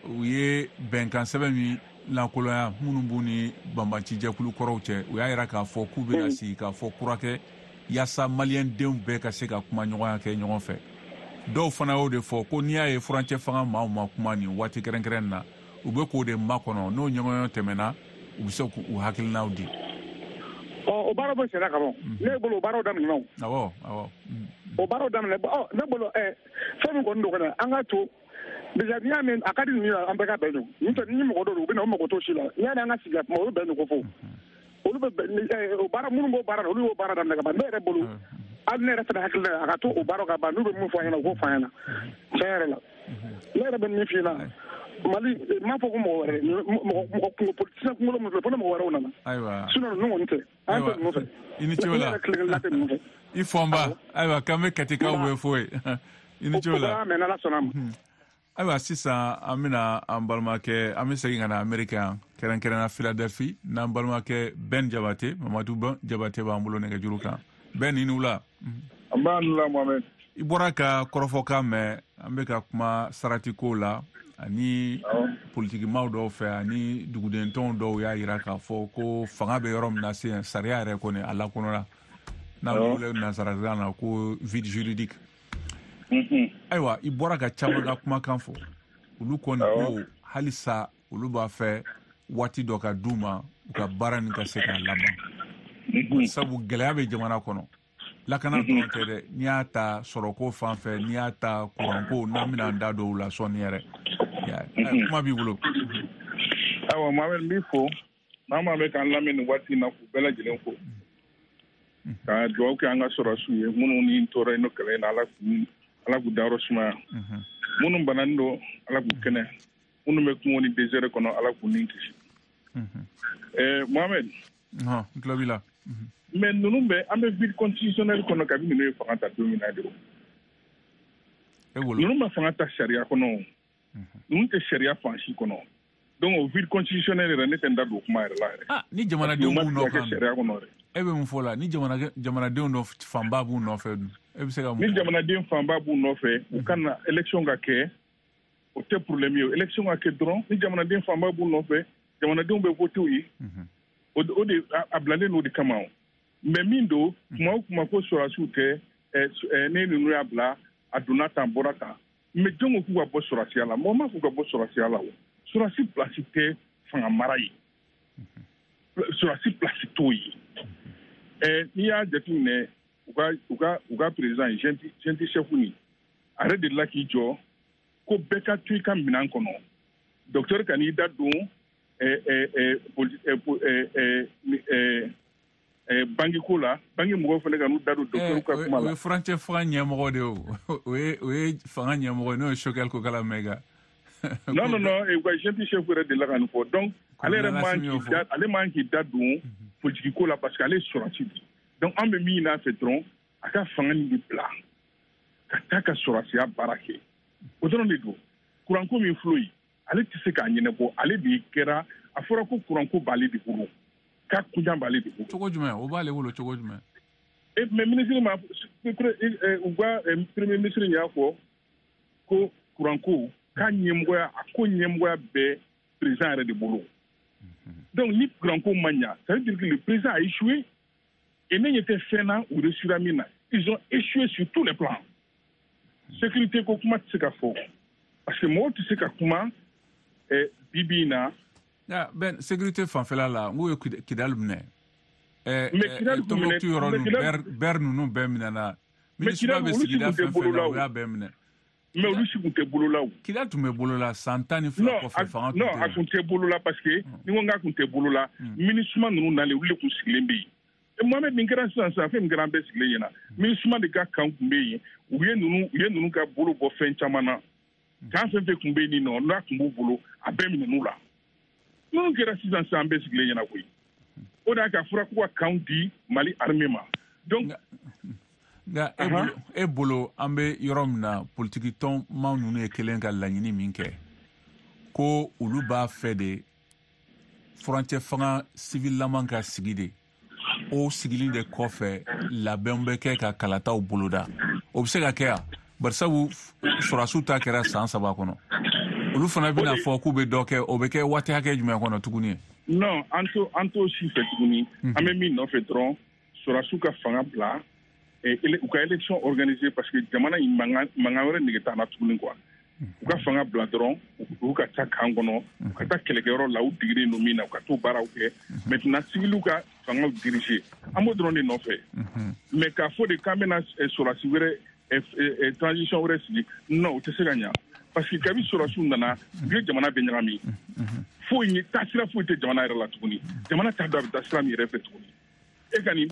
u ye bɛnkan sɛbɛn min lankolonya minnu b'u ni banbancijɛkulu kɔrɔw cɛ, u y'a yira k'a fɔ k'u bɛna sigi k'a fɔ kura kɛ yaasa maliyɛn denw bɛɛ ka se ka kuma ɲɔgɔnya kɛ ɲɔgɔn fɛ. Dɔw fana y'o de fɔ ko n'i y'a ye furancɛ fanga maaw ma kuma nin waati kɛrɛnkɛrɛn na, u bɛ k'o de makɔnɔ, n'o ɲɔgɔnyɔn tɛmɛna, u bɛ se k'u hakilinaw di. O baaraw bɛ senna ka ban. Ne bolo, o baaraw daminɛna o. Awɔ. O baaraw daminɛ. Ne bolo, fɛn min kɔni don kɔni, an ka to déjà, n'i y'a mɛn a ka di ninnu ye, an bɛɛ ka bɛn don. N'o tɛ ni mɔgɔ dɔw don, u bɛ na, u mago t'o si la. N'i y'a mɛn an ka sigi ka kuma, olu bɛn don ko fɔ. Olu bɛ o baara minnu b'o baara la, olu y'o baara daminɛ ka ban. Ne yɛrɛ bolo, Hali ne yɛrɛ fana hakili la a ka to o baaraw ka ban, n'u bɛ mun fɔ an ɲɛna, u k'o fɔ an ɲɛna tiɲɛ yɛrɛ la. Ne yɛrɛ bɛ min f'i ɲɛna, Mali n m'a fɔ ko mɔgɔ wɛrɛ, mɔgɔ kungo politicien kunkolo min filɛ, fo ni mɔgɔ wɛrɛw nana. Ayiwa. Sinon ninnu kɔni tɛ. An tɛ ninnu fɛ. I ni ce o la. Ne yɛrɛ tile kelen tɛ ninnu fɛ. I fɔnba. Ayiwa, k'an bɛ Katikaw bɛɛ fo yen. I ni ce o la. O bɛɛ n'Ala sɔnna a ma. Ayiwa, sisan an bɛna an balimakɛ, an bɛ segin ka na Ameriki yan, kɛrɛnkɛrɛnna Philadelphie, n'an balimakɛ Ben Jabate, Mamadu Ben Jabate b'an bolo nɛgɛjuru kan. Ben, i ni wula. An b'a ni wula, Mohamed. I bɔra ka kɔrɔfɔkan mɛn, an bɛ ka kuma saratiko la ani politikimaw dɔw fɛ ani dugudentɔnw dɔw y'a yira k'a fɔ ko fanga bɛ yɔrɔ min na sisan, sariya yɛrɛ kɔni a lankolola, n'a bɛ wele nansarakan na ko vide juridique. Ayiwa, i bɔra ka caman ka kumakan fɔ, olu kɔni ko halisa olu b'a fɛ waati dɔ ka d'u ma u ka baara nin ka se k'a laban, sabu gɛlɛya bɛ jamana kɔnɔ. Lakana dɔrɔn tɛ dɛ, n'i y'a ta sɔrɔko fan fɛ, n'i y'a ta kuranko, n'an bɛna an da don o la sɔɔni yɛrɛ. Kuma b'i bolo. Ayiwa, Mohamed, n b'i fo. Maa maa bɛ k'an lamɛn nin waati in na, k'u bɛɛ lajɛlen fo, ka dugawu kɛ an ka sɔrɔdasiw ye minnu ni tora yen nɔ kɛlɛ in na, Ala k'u dayɔrɔ sumaya. Minnu bananen don, Ala k'u kɛnɛ. Minnu bɛ kungo ni désert kɔnɔ, Ala k'u ni kisi. Mohamed. N tulo b'i la. Mais ninnu bɛ, an bɛ vide constitutionnel kɔnɔ kabi ninnu ye fanga ta don min na de o. Ninnu ma fanga ta sariya kɔnɔ o. Ninnu tɛ sariya fan si kɔnɔ. Donc o vide constitutionnel yɛrɛ, ne tɛ n da don kuma yɛrɛ la yɛrɛ. Ah, ni jamanadenw b'u nɔfɛ. Sariya kɔnɔ yɛrɛ. E bɛ mun fɔ la, ni jamanadenw dɔ fanba b'u nɔfɛ dun, e bɛ se ka mun? Ni jamanaden fanba b'u nɔfɛ, u ka na élection ka kɛ, o tɛ problème ye. Élection ka kɛ dɔrɔn, ni jamanaden fanba b'u nɔfɛ, jamanadenw bɛ voter u ye. O de a bilalen n'o de kama o. Mais min don, kuma o kuma ko sɔrɔdasiw tɛ, ne ninnu y'a bila, a donna tan, bɔra tan. Mais jɔn ko k'u ka bɔ sɔrɔdasiya la? Mɔgɔ ma k'u ka bɔ sɔrɔdasiya la o. Sɔrɔdasi place tɛ fanga mara ye. Sɔrɔdasi place t'o ye. N'i y'a jateminɛ, u ka président junte chef nin, a yɛrɛ delila k'i jɔ ko bɛɛ ka to i ka minɛn kɔnɔ. Docteur ka n'i da don banque ko la, banque mɔgɔw fana ka n'u da don docteur ka kuma la. O ye furancɛ fanga ɲɛmɔgɔ de ye o. O ye fanga ɲɛmɔgɔ ye, n'o ye Choguel Kokalla Maïga. Non, non, non, u ka junte chef yɛrɛ delila ka nin fɔ. Donc ale yɛrɛ ale man k'i da don politique ko la parce que ale ye sɔrɔdasi de ye. Donc an bɛ min ɲini a fɛ dɔrɔn, a ka fanga nin de bila ka taa ka sɔrɔdasiya baara kɛ. O dɔrɔn de don. Kuranko min filɛ yen, ale tɛ se k'a ɲɛnabɔ. Ale de kɛra, a fɔra ko kuranko b'ale de bolo, k'a kunjan b'ale de bolo. Cogo jumɛn? O b'ale bolo cogo jumɛn? Mais ministre ma, u ka premier ministre y'a fɔ ko kuranko k'a ɲɛmɔgɔya, a ko ɲɛmɔgɔya bɛ président yɛrɛ de bolo. Donc ni kuranko ma ɲa, ça veut dire que le président a échoué. Et ne ɲɛ tɛ fɛn na u réussira min na. Ils ont échoué sur tous les plans. Sécurité ko kuma tɛ se ka fɔ parce que mɔgɔw tɛ se ka kuma bi bi in na. Ben, sécurité fanfɛla la, n k'u ye Kidali minɛ. Tombouctou yɔrɔ ninnu, Ber ninnu bɛɛ minɛna. MINUSMA bɛ sigida fɛn fɛn na, u y'a bɛɛ minɛ. Mais olu si kun tɛ bolo la o. Kidali tun bɛ bolo la san 12 kɔfɛ, fanga tun tɛ. Non, a kun tɛ bolo la parce que ni ko n k'a kun tɛ bolo la, MINUSMA ninnu nalen, olu de kun sigilen bɛ yen. Mohamed, nin kɛra sisan sisan, fɛn min kɛra an bɛɛ sigilen ɲɛna. MINUSMA de ka kan kun bɛ yen, u ye ninnu ka bolo bɔ fɛn caman na. Kan fɛn fɛn kun bɛ yen nɔ, n'a kun b'u bolo, a bɛɛ minɛn'u la. Ninnu kɛra sisan sisan, an bɛɛ sigilen ɲɛna koyi. O de y'a kɛ a fɔra k'u ka kanw di Mali armée ma. Donc nka e bolo, an bɛ yɔrɔ min na, politiki tɔnmaa ninnu ye kelen ka laɲini min kɛ, ko olu b'a fɛ de furancɛ fanga civil laman ka sigi de. O sigili de kɔfɛ, labɛnw bɛ kɛ ka kalataw boloda. O bɛ se ka kɛ yan, barisabu sɔrɔdasiw ta kɛra san 3 kɔnɔ. Olu fana bɛna fɔ k'u bɛ dɔ kɛ, o bɛ kɛ waati hakɛ jumɛn kɔnɔ tuguni? Non, an t'o si fɛ tuguni. An bɛ min nɔfɛ dɔrɔn, sɔrɔdasiw ka fanga bila, u ka élection organiser parce que jamana in mankan wɛrɛ nege t'an na tuguni quoi. U ka fanga bila dɔrɔn, u ka taa kan kɔnɔ, u ka taa kɛlɛkɛyɔrɔ la, u digilen don min na, u ka t'o baaraw kɛ. Maintenant civiliw ka fangaw diriger, an b'o dɔrɔn de nɔfɛ. Mais k'a fɔ de k'an bɛna sɔrɔdasi wɛrɛ, transition wɛrɛ sigi, non, o tɛ se ka ɲa. Parce que kabi sɔrɔdasiw nana, u ye jamana bɛɛ ɲagami. Foyi taasira foyi tɛ jamana yɛrɛ la tuguni. Jamana t'a dɔn a bɛ taa sira min yɛrɛ fɛ tuguni. E ka nin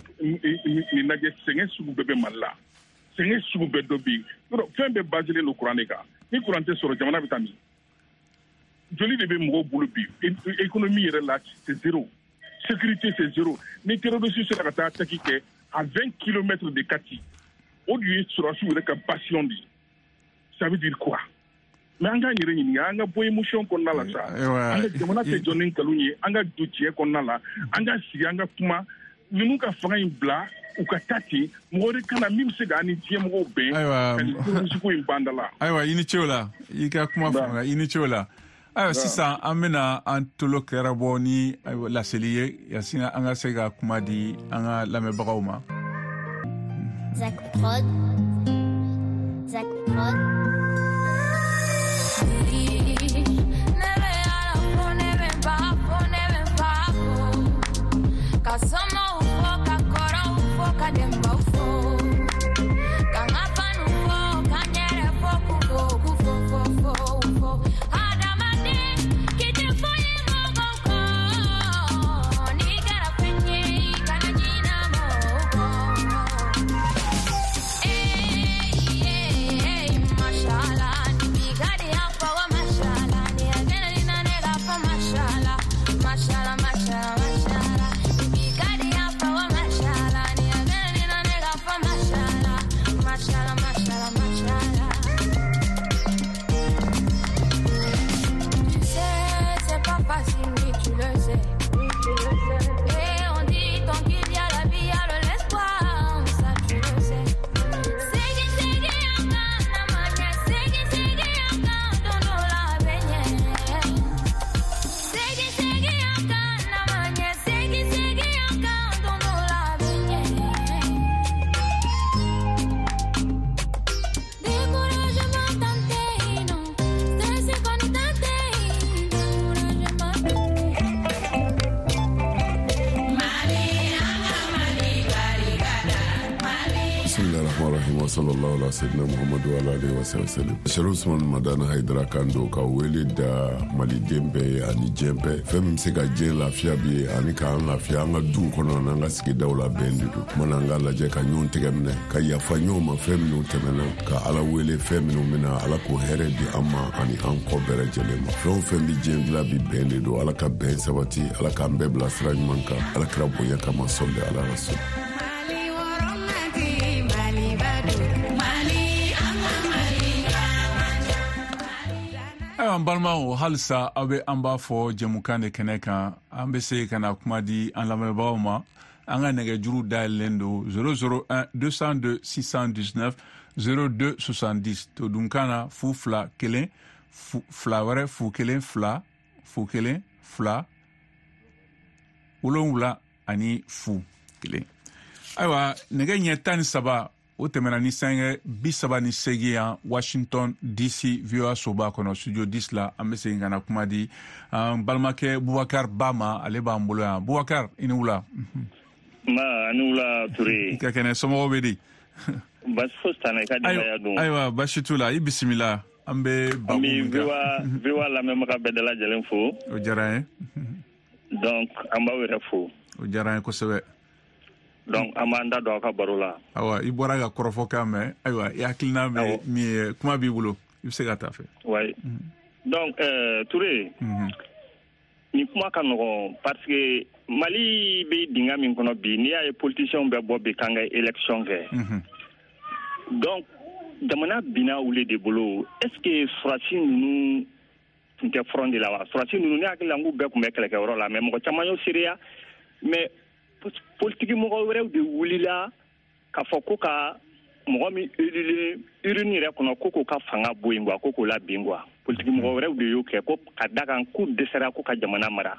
lajɛ, sɛgɛn sugu bɛɛ bɛ Mali la, sɛgɛn sugu bɛɛ dɔ bɛ yen. Fɛn bɛɛ baselen don kuran de kan. Ni kuran tɛ sɔrɔ, jamana bɛ taa min? Joli de bɛ mɔgɔw bolo bi? Économie yɛrɛ la, c'est zéro. Sécurité, c'est zéro. Ni terroriste sera ka taa attaque kɛ à 20 km de Kati, o de ye sɔrɔdasiw yɛrɛ ka bastion de ye. Ça veut dire quoi? Mais an k'an yɛrɛ ɲininka, an ka bɔ émotion kɔnɔna la sa. An ka jamana tɛ jɔ ni nkalon ye, an ka don tiɲɛ kɔnɔna la, an ka sigi, an ka kuma. Ninnu ka fanga in bila, u ka taa ten, mɔgɔ wɛrɛ ka na min bɛ se k'an ni diɲɛ mɔgɔw bɛn ka nin terroriste ko in ban da la. Ayiwa, i ni ce o la, i ka kuma faamuya, i ni ce o la. Ayiwa, sisan an bɛna an tolo kɛra bɔ ni laseli ye, yasin an ka se ka kuma di an ka lamɛnbagaw ma. Zak Prod, Zak Prod. Sallallahu ala sayyidina Muhammadu ala alaihi wa sallam. Sherif Usman Madani Haidara kan don ka wele da maliden bɛɛ ye ani diɲɛ bɛɛ. Fɛn min bɛ se ka diɲɛ lafiya bi ye ani k'an lafiya an ka duw kɔnɔ n'an ka sigidaw la, bɛn de don. Kumana an ka lajɛ ka ɲɔgɔn tɛgɛ minɛ, ka yafa ɲɔgɔn ma fɛn minnu tɛmɛna, ka Ala wele fɛn minnu bɛna, Ala k'o hɛrɛ di an ma ani an kɔ bɛɛ lajɛlen ma. Fɛn o fɛn bɛ diɲɛ dilan bi, bɛn de don. Ala ka bɛn sabati, Ala k'an bɛɛ bila sira ɲuman kan, Ala kira bonya kama, sɔli ala rasul. Ayiwa, an balimaw, halisa aw bɛ an b'a fɔ jɛmukan de kɛnɛ kan. An bɛ se ka na kuma di an lamɛnbagaw ma. An ka nɛgɛjuru dayɛlɛlen don 001 202 619 02 70. Todunkan na 0 2 1 2 wɛrɛ 0 1 2 0 1 2 7 ani 0 1. Ayiwa, nɛgɛ ɲɛ 13 o tɛmɛna ni sanga 38 yan Washington DC VOA soba kɔnɔ, studio 10 la. An bɛ segin ka na kuma di an balimakɛ Bubakar Ba ma, ale b'an bolo yan. Bubakar, i ni wula. Ma, ni wula Ture. I ka kɛnɛ, somɔgɔw bɛ di? Basi fosi t'an na, i ka denbaya dun? Ayiwa, basi t'u la, i bisimila. An bɛ babu min kan. An bɛ VOA lamɛnbaga bɛɛ lajɛlen fo. O diyara an ye. Donc an b'aw yɛrɛ fo. O diyara an ye kosɛbɛ. Donc an b'an da don aw ka baro la. Ayiwa, i bɔra ka kɔrɔfɔ kan mɛn. Ayiwa, i hakilina bɛ min ye, kuma b'i bolo, i bɛ se ka taa fɛ. Oui. Donc Ture, nin kuma ka nɔgɔn parce que Mali bɛ dingɛ min kɔnɔ bi, n'i y'a ye politiciens bɛ bɔ bi k'an ka élection kɛ. Donc jamana binna olu de bolo. Est ce que sɔrɔdasi ninnu tun tɛ front de la wa? Sɔrɔdasi ninnu, ne hakili la n k'u bɛɛ tun bɛ kɛlɛkɛyɔrɔ la, mais mɔgɔ caman y'o seereya. Mais politiki mɔgɔ wɛrɛw de wulila k'a fɔ ko ka mɔgɔ min élulen urne yɛrɛ kɔnɔ, ko k'o ka fanga bɔ yen quoi, ko k'o labin quoi. Politiki mɔgɔ wɛrɛw de y'o kɛ, ko ka da kan k'u dɛsɛra ko ka jamana mara.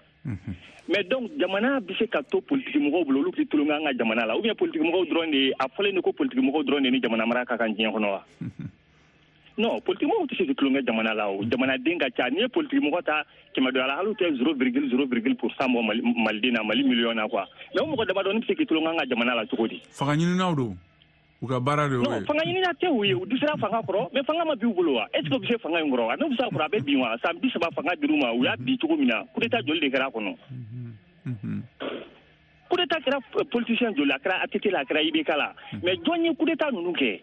Mais donc jamana bɛ se ka to politiki mɔgɔw bolo, olu k'i tulonkɛ an ka jamana la, ou bien politiki mɔgɔw dɔrɔn de, a fɔlen de ko politiki mɔgɔw dɔrɔn de ni jamana mara ka kan diɲɛ kɔnɔ wa? Non, politiki mɔgɔw tɛ se k'i tulonkɛ jamana la o. Jamanaden ka ca. N'i ye politiki mɔgɔ ta 100 dɔ la, hali tɛ 0,0% bɔ Maliden na, Mali miliyɔn na quoi. Mais o mɔgɔ damadɔni bɛ se k'i tulonkɛ an ka jamana la cogo di? Fanga ɲininaw don. U ka baara de y'o ye. Non, fanga ɲinina tɛ u ye, u dɛsɛra fanga kɔrɔ, mais fanga ma bin u bolo wa? Est ce que u bɛ se fanga in kɔrɔ wa? N'u bɛ se a kɔrɔ, a bɛ bin wa? San 30 fanga dir'u ma, u y'a bin cogo min na, coup d'état joli de kɛra a kɔnɔ? Coup d'état kɛra politicien joli la, a kɛra ATT la, a kɛra IBK la. Mais jɔn ye coup d'état ninnu kɛ?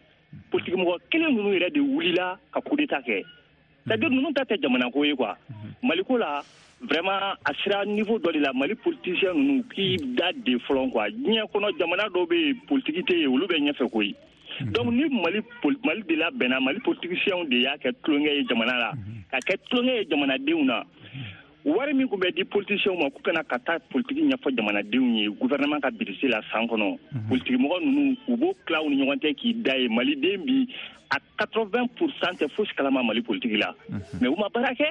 Politique mɔgɔ kelen ninnu yɛrɛ de wulila ka coup d'état kɛ. C'est-à-dire ninnu ta tɛ jamana ko ye quoi. Mali ko la, vraiment a sera niveau dɔ de la, Mali politicien ninnu k'i da de fɔlɔ quoi. Diɲɛ kɔnɔ jamana dɔw bɛ yen politique tɛ yen, olu bɛ ɲɛfɛ koyi. Donc ni Mali de labɛnna, Mali politiciens de y'a kɛ tulonkɛ ye jamana la, ka kɛ tulonkɛ ye jamanadenw na. Wari min tun bɛ di politiciens ma k'u kana ka taa politique ɲɛfɔ jamanadenw ye gouvernement ka budget la san kɔnɔ, politique mɔgɔ ninnu u b'o tila u ni ɲɔgɔn cɛ k'i da ye. Maliden bi a 80% tɛ fosi kalama Mali politique la, mais u ma baara kɛ.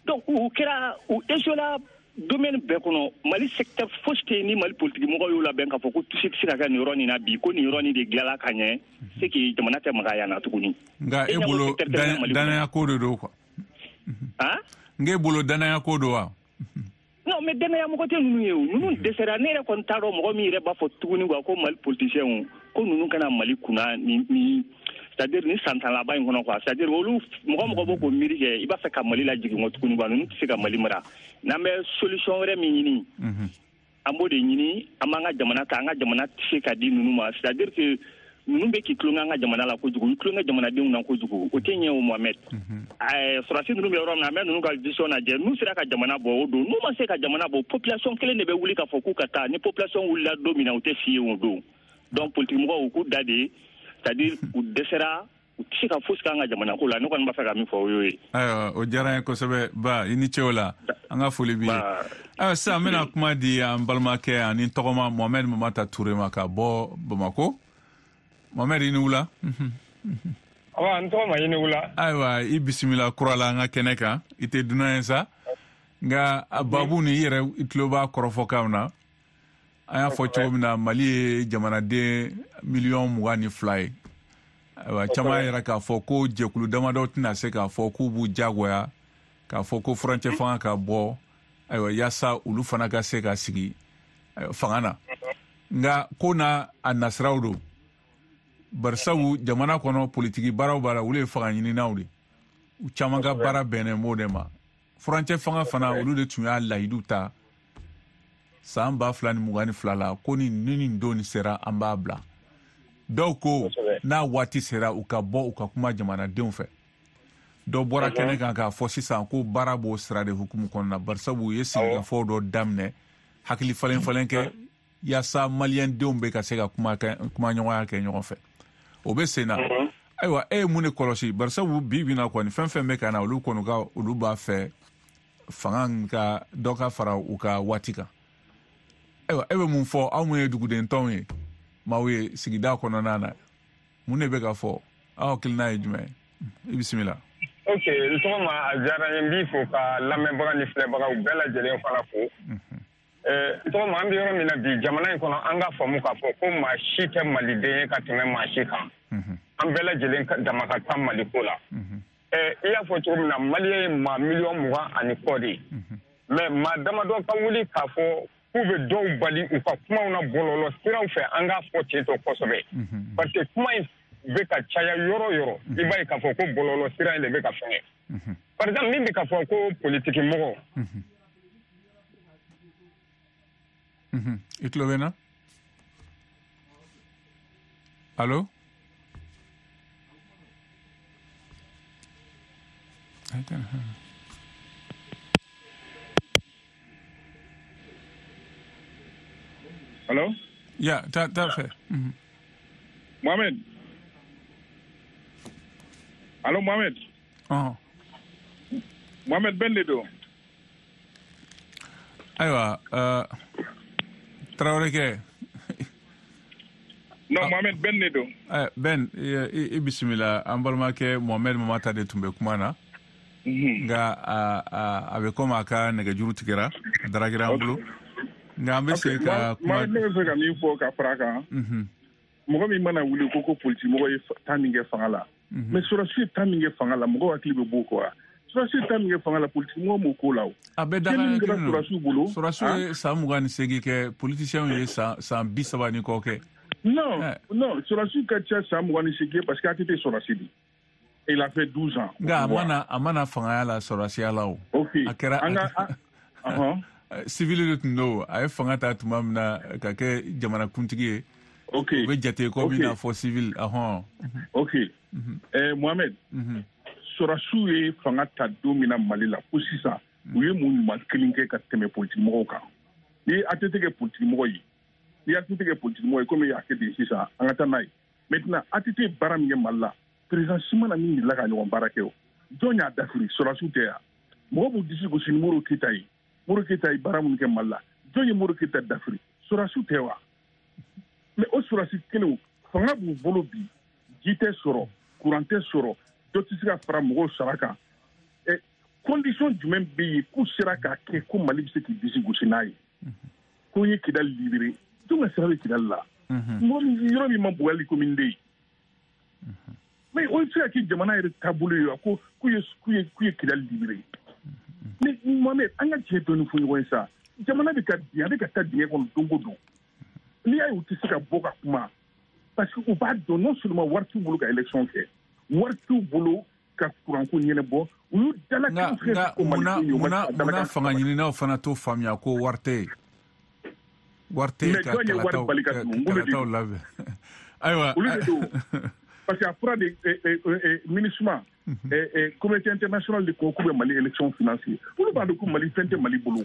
Donc u kɛra u échoué la domaine bɛɛ kɔnɔ. Mali secteur fosi tɛ yen ni Mali politique mɔgɔw y'o labɛn k'a fɔ ko tusi tɛ se ka kɛ nin yɔrɔ nin na bi, ko nin yɔrɔ nin de dilanla ka ɲɛ, c'est que jamana tɛ maga yan na tuguni. Nka e bolo danaya ko de don quoi. Han? N k'e bolo danaya ko don wa? Non, mais danaya mɔgɔ tɛ ninnu ye o. Ninnu dɛsɛra. Ne yɛrɛ kɔni t'a dɔn mɔgɔ min yɛrɛ b'a fɔ tuguni quoi ko Mali politiciens ko ninnu kana Mali kunna ni c'est-à-dire ni san tan laban in kɔnɔ quoi. C'est-à-dire olu mɔgɔ b'o k'o miiri kɛ, i b'a fɛ ka Mali lajigin kɔ tuguni quoi. Ninnu tɛ se ka Mali mara. N'an bɛ solution wɛrɛ min ɲini, an b'o de ɲini. An b'an ka jamana ta, an ka jamana tɛ se ka di ninnu ma. C'est-à-dire que ninnu bɛ k'i tulonkɛ an ka jamana la kojugu, u tulonkɛ jamanadenw na kojugu. O tɛ ɲɛ o Mohamed. Sɔrɔdasi ninnu bɛ yɔrɔ min na, an bɛ ninnu ka vision lajɛ. N'u sera ka jamana bɔ o don, n'u ma se ka jamana bɔ, population kelen de bɛ wuli k'a fɔ k'u ka taa. Ni population wulila don min na, u tɛ si yen o don. Donc politique mɔgɔw u k'u da de, c'est-à-dire u dɛsɛra, u tɛ se ka fosi k'an ka jamana ko la. Ne kɔni b'a fɛ ka min fɔ o y'o ye. Ayiwa, o diyara n ye kosɛbɛ. Ba, i ni ce o la, an ka foli b'i ye. Ayiwa, sisan an bɛna kuma di an balimakɛ ani tɔgɔma Mohamed Mamata Ture ma ka bɔ Bamako. Mohamed, i ni wula. Awa, n tɔgɔma, i ni wula. Ayiwa, i bisimila kura la an ka kɛnɛ kan. I tɛ dunan ye sa, nka a babu ni i yɛrɛ i tulo b'a kɔrɔfɔkanw na. An y'a fɔ cogo min na, Mali ye jamanaden miliyɔn 22 ye. Ayiwa, caman yɛrɛ k'a fɔ ko jɛkulu damadɔ tɛna se k'a fɔ k'u b'u jagoya k'a fɔ ko furancɛ fanga ka bɔ, ayiwa, yaasa olu fana ka se ka sigi fanga na. Nka ko n'a a nasiraw don, barisabu jamana kɔnɔ politiki baaraw b'a la, olu ye fanga ɲininaw de, u caman ka baara bɛnnen b'o de ma. Furancɛ fanga fana, olu de tun y'a layidu ta san 2022 la ko ni nin don sera an b'a bila. Dɔw ko n'a waati sera u ka bɔ u ka kuma jamanadenw fɛ. Dɔ bɔra kɛnɛ kan k'a fɔ sisan ko baara b'o sira de hukumu kɔnɔna, barisabu u ye sigikafɔw dɔ daminɛ, hakili falen falen kɛ yaasa maliyɛndenw bɛ ka se ka kuma ɲɔgɔnya kɛ ɲɔgɔn fɛ. O bɛ sen na. Ayiwa, e ye mun de kɔlɔsi? Barisabu bi bi na kɔni, fɛn fɛn bɛ ka na, olu kɔni ka olu b'a fɛ fanga ka dɔ ka fara u ka waati kan. Ayiwa, e bɛ mun fɔ aw mun ye duguden tɔnw ye, maaw ye sigida kɔnɔna na, mun de bɛ ka fɔ? Aw hakilina ye jumɛn ye? I bisimila. Ok, n tɔgɔma, a diyara n ye, n b'i fo ka lamɛnbaga ni filɛbagaw bɛɛ lajɛlen fana fo. N tɔgɔma, an bɛ yɔrɔ min na bi jamana in kɔnɔ, an ka faamu k'a fɔ ko maa si tɛ maliden ye ka tɛmɛ maa si kan. An bɛɛ lajɛlen dama ka kan Maliko la. I y'a fɔ cogo min na, Maliyɛn ye maa miliyɔn 20 ani kɔ de ye. Mais maa damadɔ ka wuli k'a fɔ k'u bɛ dɔw bali u ka kumaw na bɔlɔlɔ siraw fɛ, an k'a fɔ ten tɔ kosɛbɛ. Parce que kuma in bɛ ka caya yɔrɔ yɔrɔ, i b'a ye k'a fɔ ko bɔlɔlɔ sira in de bɛ ka fɛngɛ. Par exemple, min bɛ k'a fɔ ko politiki mɔgɔ. I tulo bɛ n na? Allo? Allo? Ya, t'a fɛ. Mohamed. Allo, Mohamed. Mohamed Ben de don. Ayiwa, Traoré kɛ. Non, Mohamed Ben de don. Ben, i bisimila. An balimakɛ Mohamed Mamata de tun bɛ kuma na. Nka a bɛ komi a ka nɛgɛjuru tigɛra, a daragira an bolo. Nka an bɛ se ka kuma. Ne bɛ fɛ ka min fɔ ka fara a kan. Mɔgɔ min mana wuli ko politique mɔgɔ ye temps min kɛ fanga la. Mais sɔrɔdasi ye temps min kɛ fanga la, mɔgɔw hakili bɛ b'o kɔ wa? Sɔrɔdasi ye temps min kɛ fanga la, politique mɔgɔ m'o ko la o. A bɛɛ daga kɛra sɔrɔdasiw bolo. Sɔrɔdasiw ye san 28 kɛ, politiciens ye san 30 ni kɔ kɛ. Non, non, sɔrɔdasiw ka ca san 28 ye parce que ATT sɔrɔdasi de. Il a fait 12 ans. Nka a mana fangaya la sɔrɔdasiya la o. Ok. A kɛra. An ka. civil de tun don, a ye fanga ta tuma min na ka kɛ jamanakuntigi ye. Ok. O bɛ jate komi i n'a fɔ civil. Ahɔn. Ok. Mohamed. Sɔrɔdasiw ye fanga ta don min na Mali la fo sisan, u ye mun ɲuman kelen kɛ ka tɛmɛ politikimɔgɔw kan? Ni ATT kɛ politikimɔgɔ ye, ni ATT kɛ politikimɔgɔ ye komi y'a kɛ ten sisan, an ka taa n'a ye. Maintenant, ATT ye baara min kɛ Mali la, président si ma na min delila ka ɲɔgɔn baara kɛ. O jɔn y'a dafiri? Sɔrɔdasiw tɛ yan. Mɔgɔ b'u disi gosi ni Modibo Keyita ye. Modibo Keyita ye baara minnu kɛ Mali la, jɔn ye Modibo Keyita dafiri? Sɔrɔdasiw tɛ wa? Mais o sɔrɔdasi kelenw, fanga b'u bolo bi, ji tɛ sɔrɔ, courant tɛ sɔrɔ, dɔ tɛ se ka fara mɔgɔw sara kan. Condition jumɛn bɛ yen k'u sera k'a kɛ ko Mali bɛ se k'i disi gosi n'a ye ko n ye Kidali libéré? Jɔn ka sira bɛ Kidali la? Mɔgɔ min, yɔrɔ min ma bon hali commune de ye. Mais o tɛ se ka kɛ jamana yɛrɛ taabolo ye wa, ko k'u ye Kidali libéré? Mais Mohamed, an ka tiɲɛ dɔɔni fɔ ɲɔgɔn ye sa. Jamana bɛ ka bin, a bɛ ka taa dingɛ kɔnɔ don o don. N'i y'a ye u tɛ se ka bɔ ka kuma, parce que u b'a dɔn, non seulement wari t'u bolo ka élection kɛ, wari t'u bolo ka kuranko ɲɛnabɔ, u y'u dalakan fɛn ko Munna munna fanga ɲininaw fana t'o faamuya ko wari tɛ yen, wari tɛ yen ka kalataw labɛn? Ayiwa. Olu de don, parce que a fɔra de MINUSMA, communauté internationale de ko k'u bɛ Mali élection financer. Olu b'a dɔn ko Mali fɛn tɛ Mali bolo,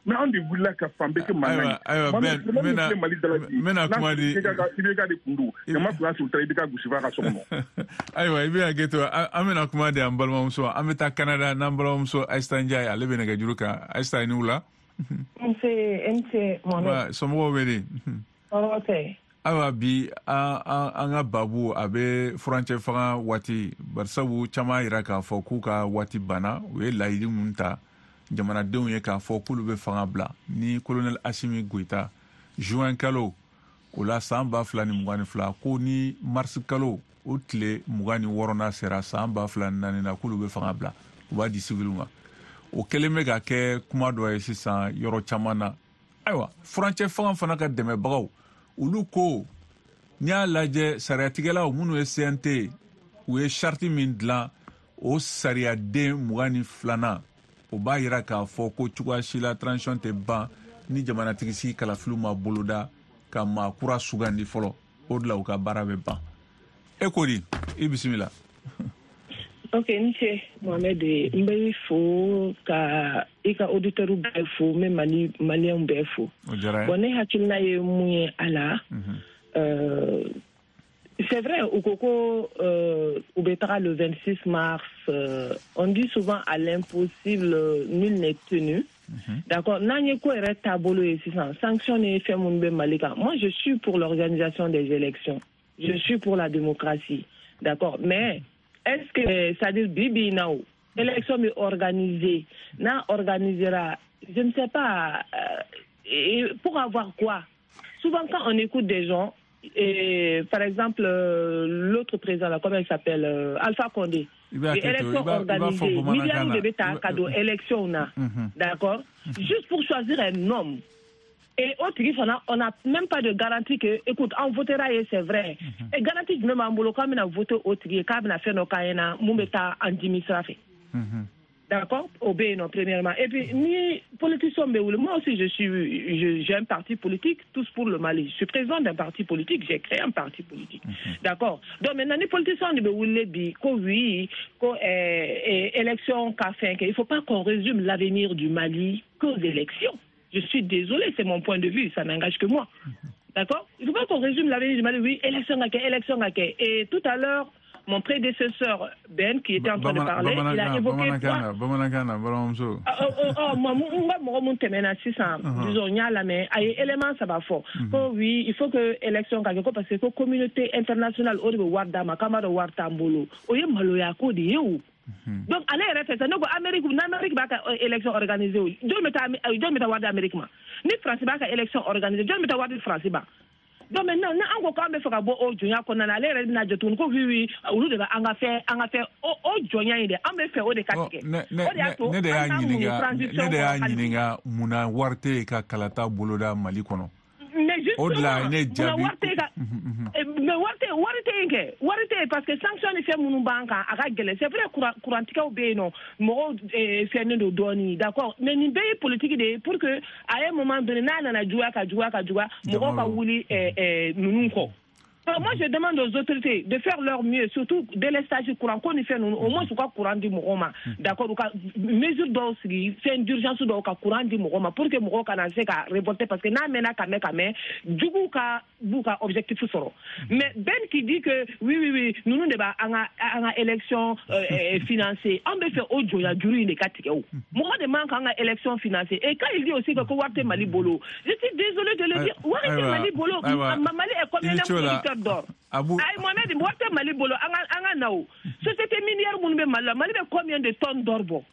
mais anw de wulila ka fan bɛɛ kɛ mankan ye. Ayiwa, Ben, n bɛna kuma di. IBK de kun don, jama tun y'a sɔrɔ u taara IBK gosi f'a ka so kɔnɔ. Ayiwa, i bɛ hakɛ to, an bɛna kuma di an balimamuso. An bɛ taa Canada n'an balimamuso Ayisa Ndiaye, ale bɛ nɛgɛjuru kan. Ayisa, i ni wula. Nse, nse Mohamed. Somɔgɔw bɛ di? Tɔɔrɔ tɛ. Ayiwa, bi an ka babu, a bɛ furancɛ fanga waati, barisabu caman yira k'a fɔ k'u ka waati banna. U ye laɲini mun ta jamanadenw ye k'a fɔ k'olu bɛ fanga bila ni colonel Assimi Goïta juin kalo o la san 2022, ko ni mars kalo o tile 26nan sera san 2004 na, k'olu bɛ fanga bila, u b'a di civil ma. O kɛlen bɛ ka kɛ kuma dɔ ye sisan yɔrɔ caman na. Ayiwa, furancɛ fanga fana ka dɛmɛbagaw, olu ko n'i y'a lajɛ, sariyatigɛlaw minnu ye CNT, u ye charte min dilan, o sariyaden 22nan, o b'a yira k'a fɔ ko cogoya si la transition tɛ ban ni jamanatigi sigi kalafiliw ma boloda ka maa kura sugandi fɔlɔ. O de la u ka baara bɛ ban. E ko di? I bisimila. Ok, n ce Mohamed, n bɛ fo ka i ka auditeur bɛɛ fo, n bɛ Mali maliyɛnw bɛɛ fo. O diyara n ye. Bon, ne hakilina ye mun ye a la, c'est vrai, u ko ko u bɛ taga le 26 mars. On dit souvent, à l'impossible nul n'est tenu. D'accord, n'an ye ko yɛrɛ taabolo ye sisan, sanction ni fɛn minnu bɛ Mali kan, moi je suis pour l'organisation des élections, je suis pour la démocratie, d'accord, mais est-ce que, c'est-à-dire bi bi in na, o élection bɛ organiser, n'a organisera, je ne sais pas, et pour avoir quoi? Souvent, quand on écoute des gens, et, par exemple, l'autre président là, comment il s'appelle, Alpha Condé, I bɛ hakɛ to, élection i b'a fɔ organisée, bamanankan milliards na. de bɛ ta ka don élection na, d'accord, juste pour choisir un homme. Et o tigi fana, on n'a même pas de garantie que, écoute, an votera ye, c'est vrai. Et garantie jumɛn b'an bolo k'an bɛna voter o tigi ye, k'a bɛna fɛn dɔ k'an ɲɛna mun bɛ taa an dimi sira fɛ? D'accord, o bɛ yen nɔ, premièrement. Et puis, ni politicien bɛ wuli, moi aussi, je suis, j'ai un parti politique, Tous pour le Mali. Je suis président d'un parti politique, j'ai créé un parti politique. D'accord. Donc maintenant, ni politicien de bɛ wuli bi, ko oui, ko élection ka fɛn kɛ, il faut pas qu'on résume l'avenir du Mali qu'aux élections. Je suis désolé, c'est mon point de vue, ça n'engage que moi. D'accord. Il ne faut pas qu'on résume l'avenir du Mali, oui, élection ka kɛ, élection ka kɛ. Et tout à l'heure, mon prédécesseur, Ben, qui était en train de parler, il a évoqué Bamanankan na, bamanankan na, balimamuso. Oh, oh, n ka mɔgɔ mun tɛmɛna sisan, disons, n y'a lamɛn, a ye élément saba fɔ, ko oui, il faut que élection ka kɛ, ko parce que ko communauté internationale o de bɛ wari d'a ma, k'an b'a dɔn wari t'an bolo. O ye maloya ko de ye o. Donc ale yɛrɛ fɛ sa, ne ko Amérique, n'Amérique b'a ka élection organiser, o jɔn bɛ taa wari di Amérique ma? Ni France b'a ka élection organiser, jɔn bɛ taa wari di France ma? Donc maintenant, ni an ko k'an bɛ fɛ ka bɔ o jɔnya kɔnɔna na, ale yɛrɛ bɛna jɔ tuguni ko oui oui, olu de bɛ an ka fɛ o jɔnya in dɛ, an bɛ fɛ o de ka tigɛ. Ne O de y'a to ne de y'a an k'an muɲu ɲininka, transition ne de y'a kɔnɔ hali bi. ɲininka munna wari tɛ yen ka kalata boloda Mali kɔnɔ. Mais O de la justement, ne munna jaabi. wari tɛ ka, mais wari tɛ yen kɛ, wari tɛ yen parce que sanction ni fɛn minnu b'an kan, a ka gɛlɛn. C'est vrai, kurantigɛw bɛ yen nɔ, mɔgɔw fɛnnen don dɔɔni, d'accord, mais nin bɛɛ ye politique de ye pour que à un moment donné, n'a nana juguya ka juguya ka juguya, mɔgɔw ka wuli ninnu kɔ. Alors moi, je demande aux autorités de faire leur mieux, surtout délestage courant ko ni fɛn ninnu, au moins u ka courant di mɔgɔw ma, d'accord, u ka mesure dɔw sigi, fɛn d'urgence dɔw ka courant di mɔgɔw ma pour que mɔgɔw kana se ka révolter, parce que n'a mɛnna ka mɛn ka mɛn, juguw ka b'u ka objectif sɔrɔ. Mais Ben qui dit que oui oui oui, ninnu de b'a an ka élection financer, an bɛ fɛ o jɔnya juru in de ka tigɛ o. Mɔgɔ de man kan ka élection financer. Et quand il dit aussi que ko wari tɛ Mali bolo, je suis désolé de le dire, wari tɛ Mali bolo. Mali est combien de producteurs d'or? Ayi Mohamed, wari tɛ Mali bolo, an ka na o. Société minière minnu bɛ Mali la, Mali bɛ combien de tonnes d'or bɔ?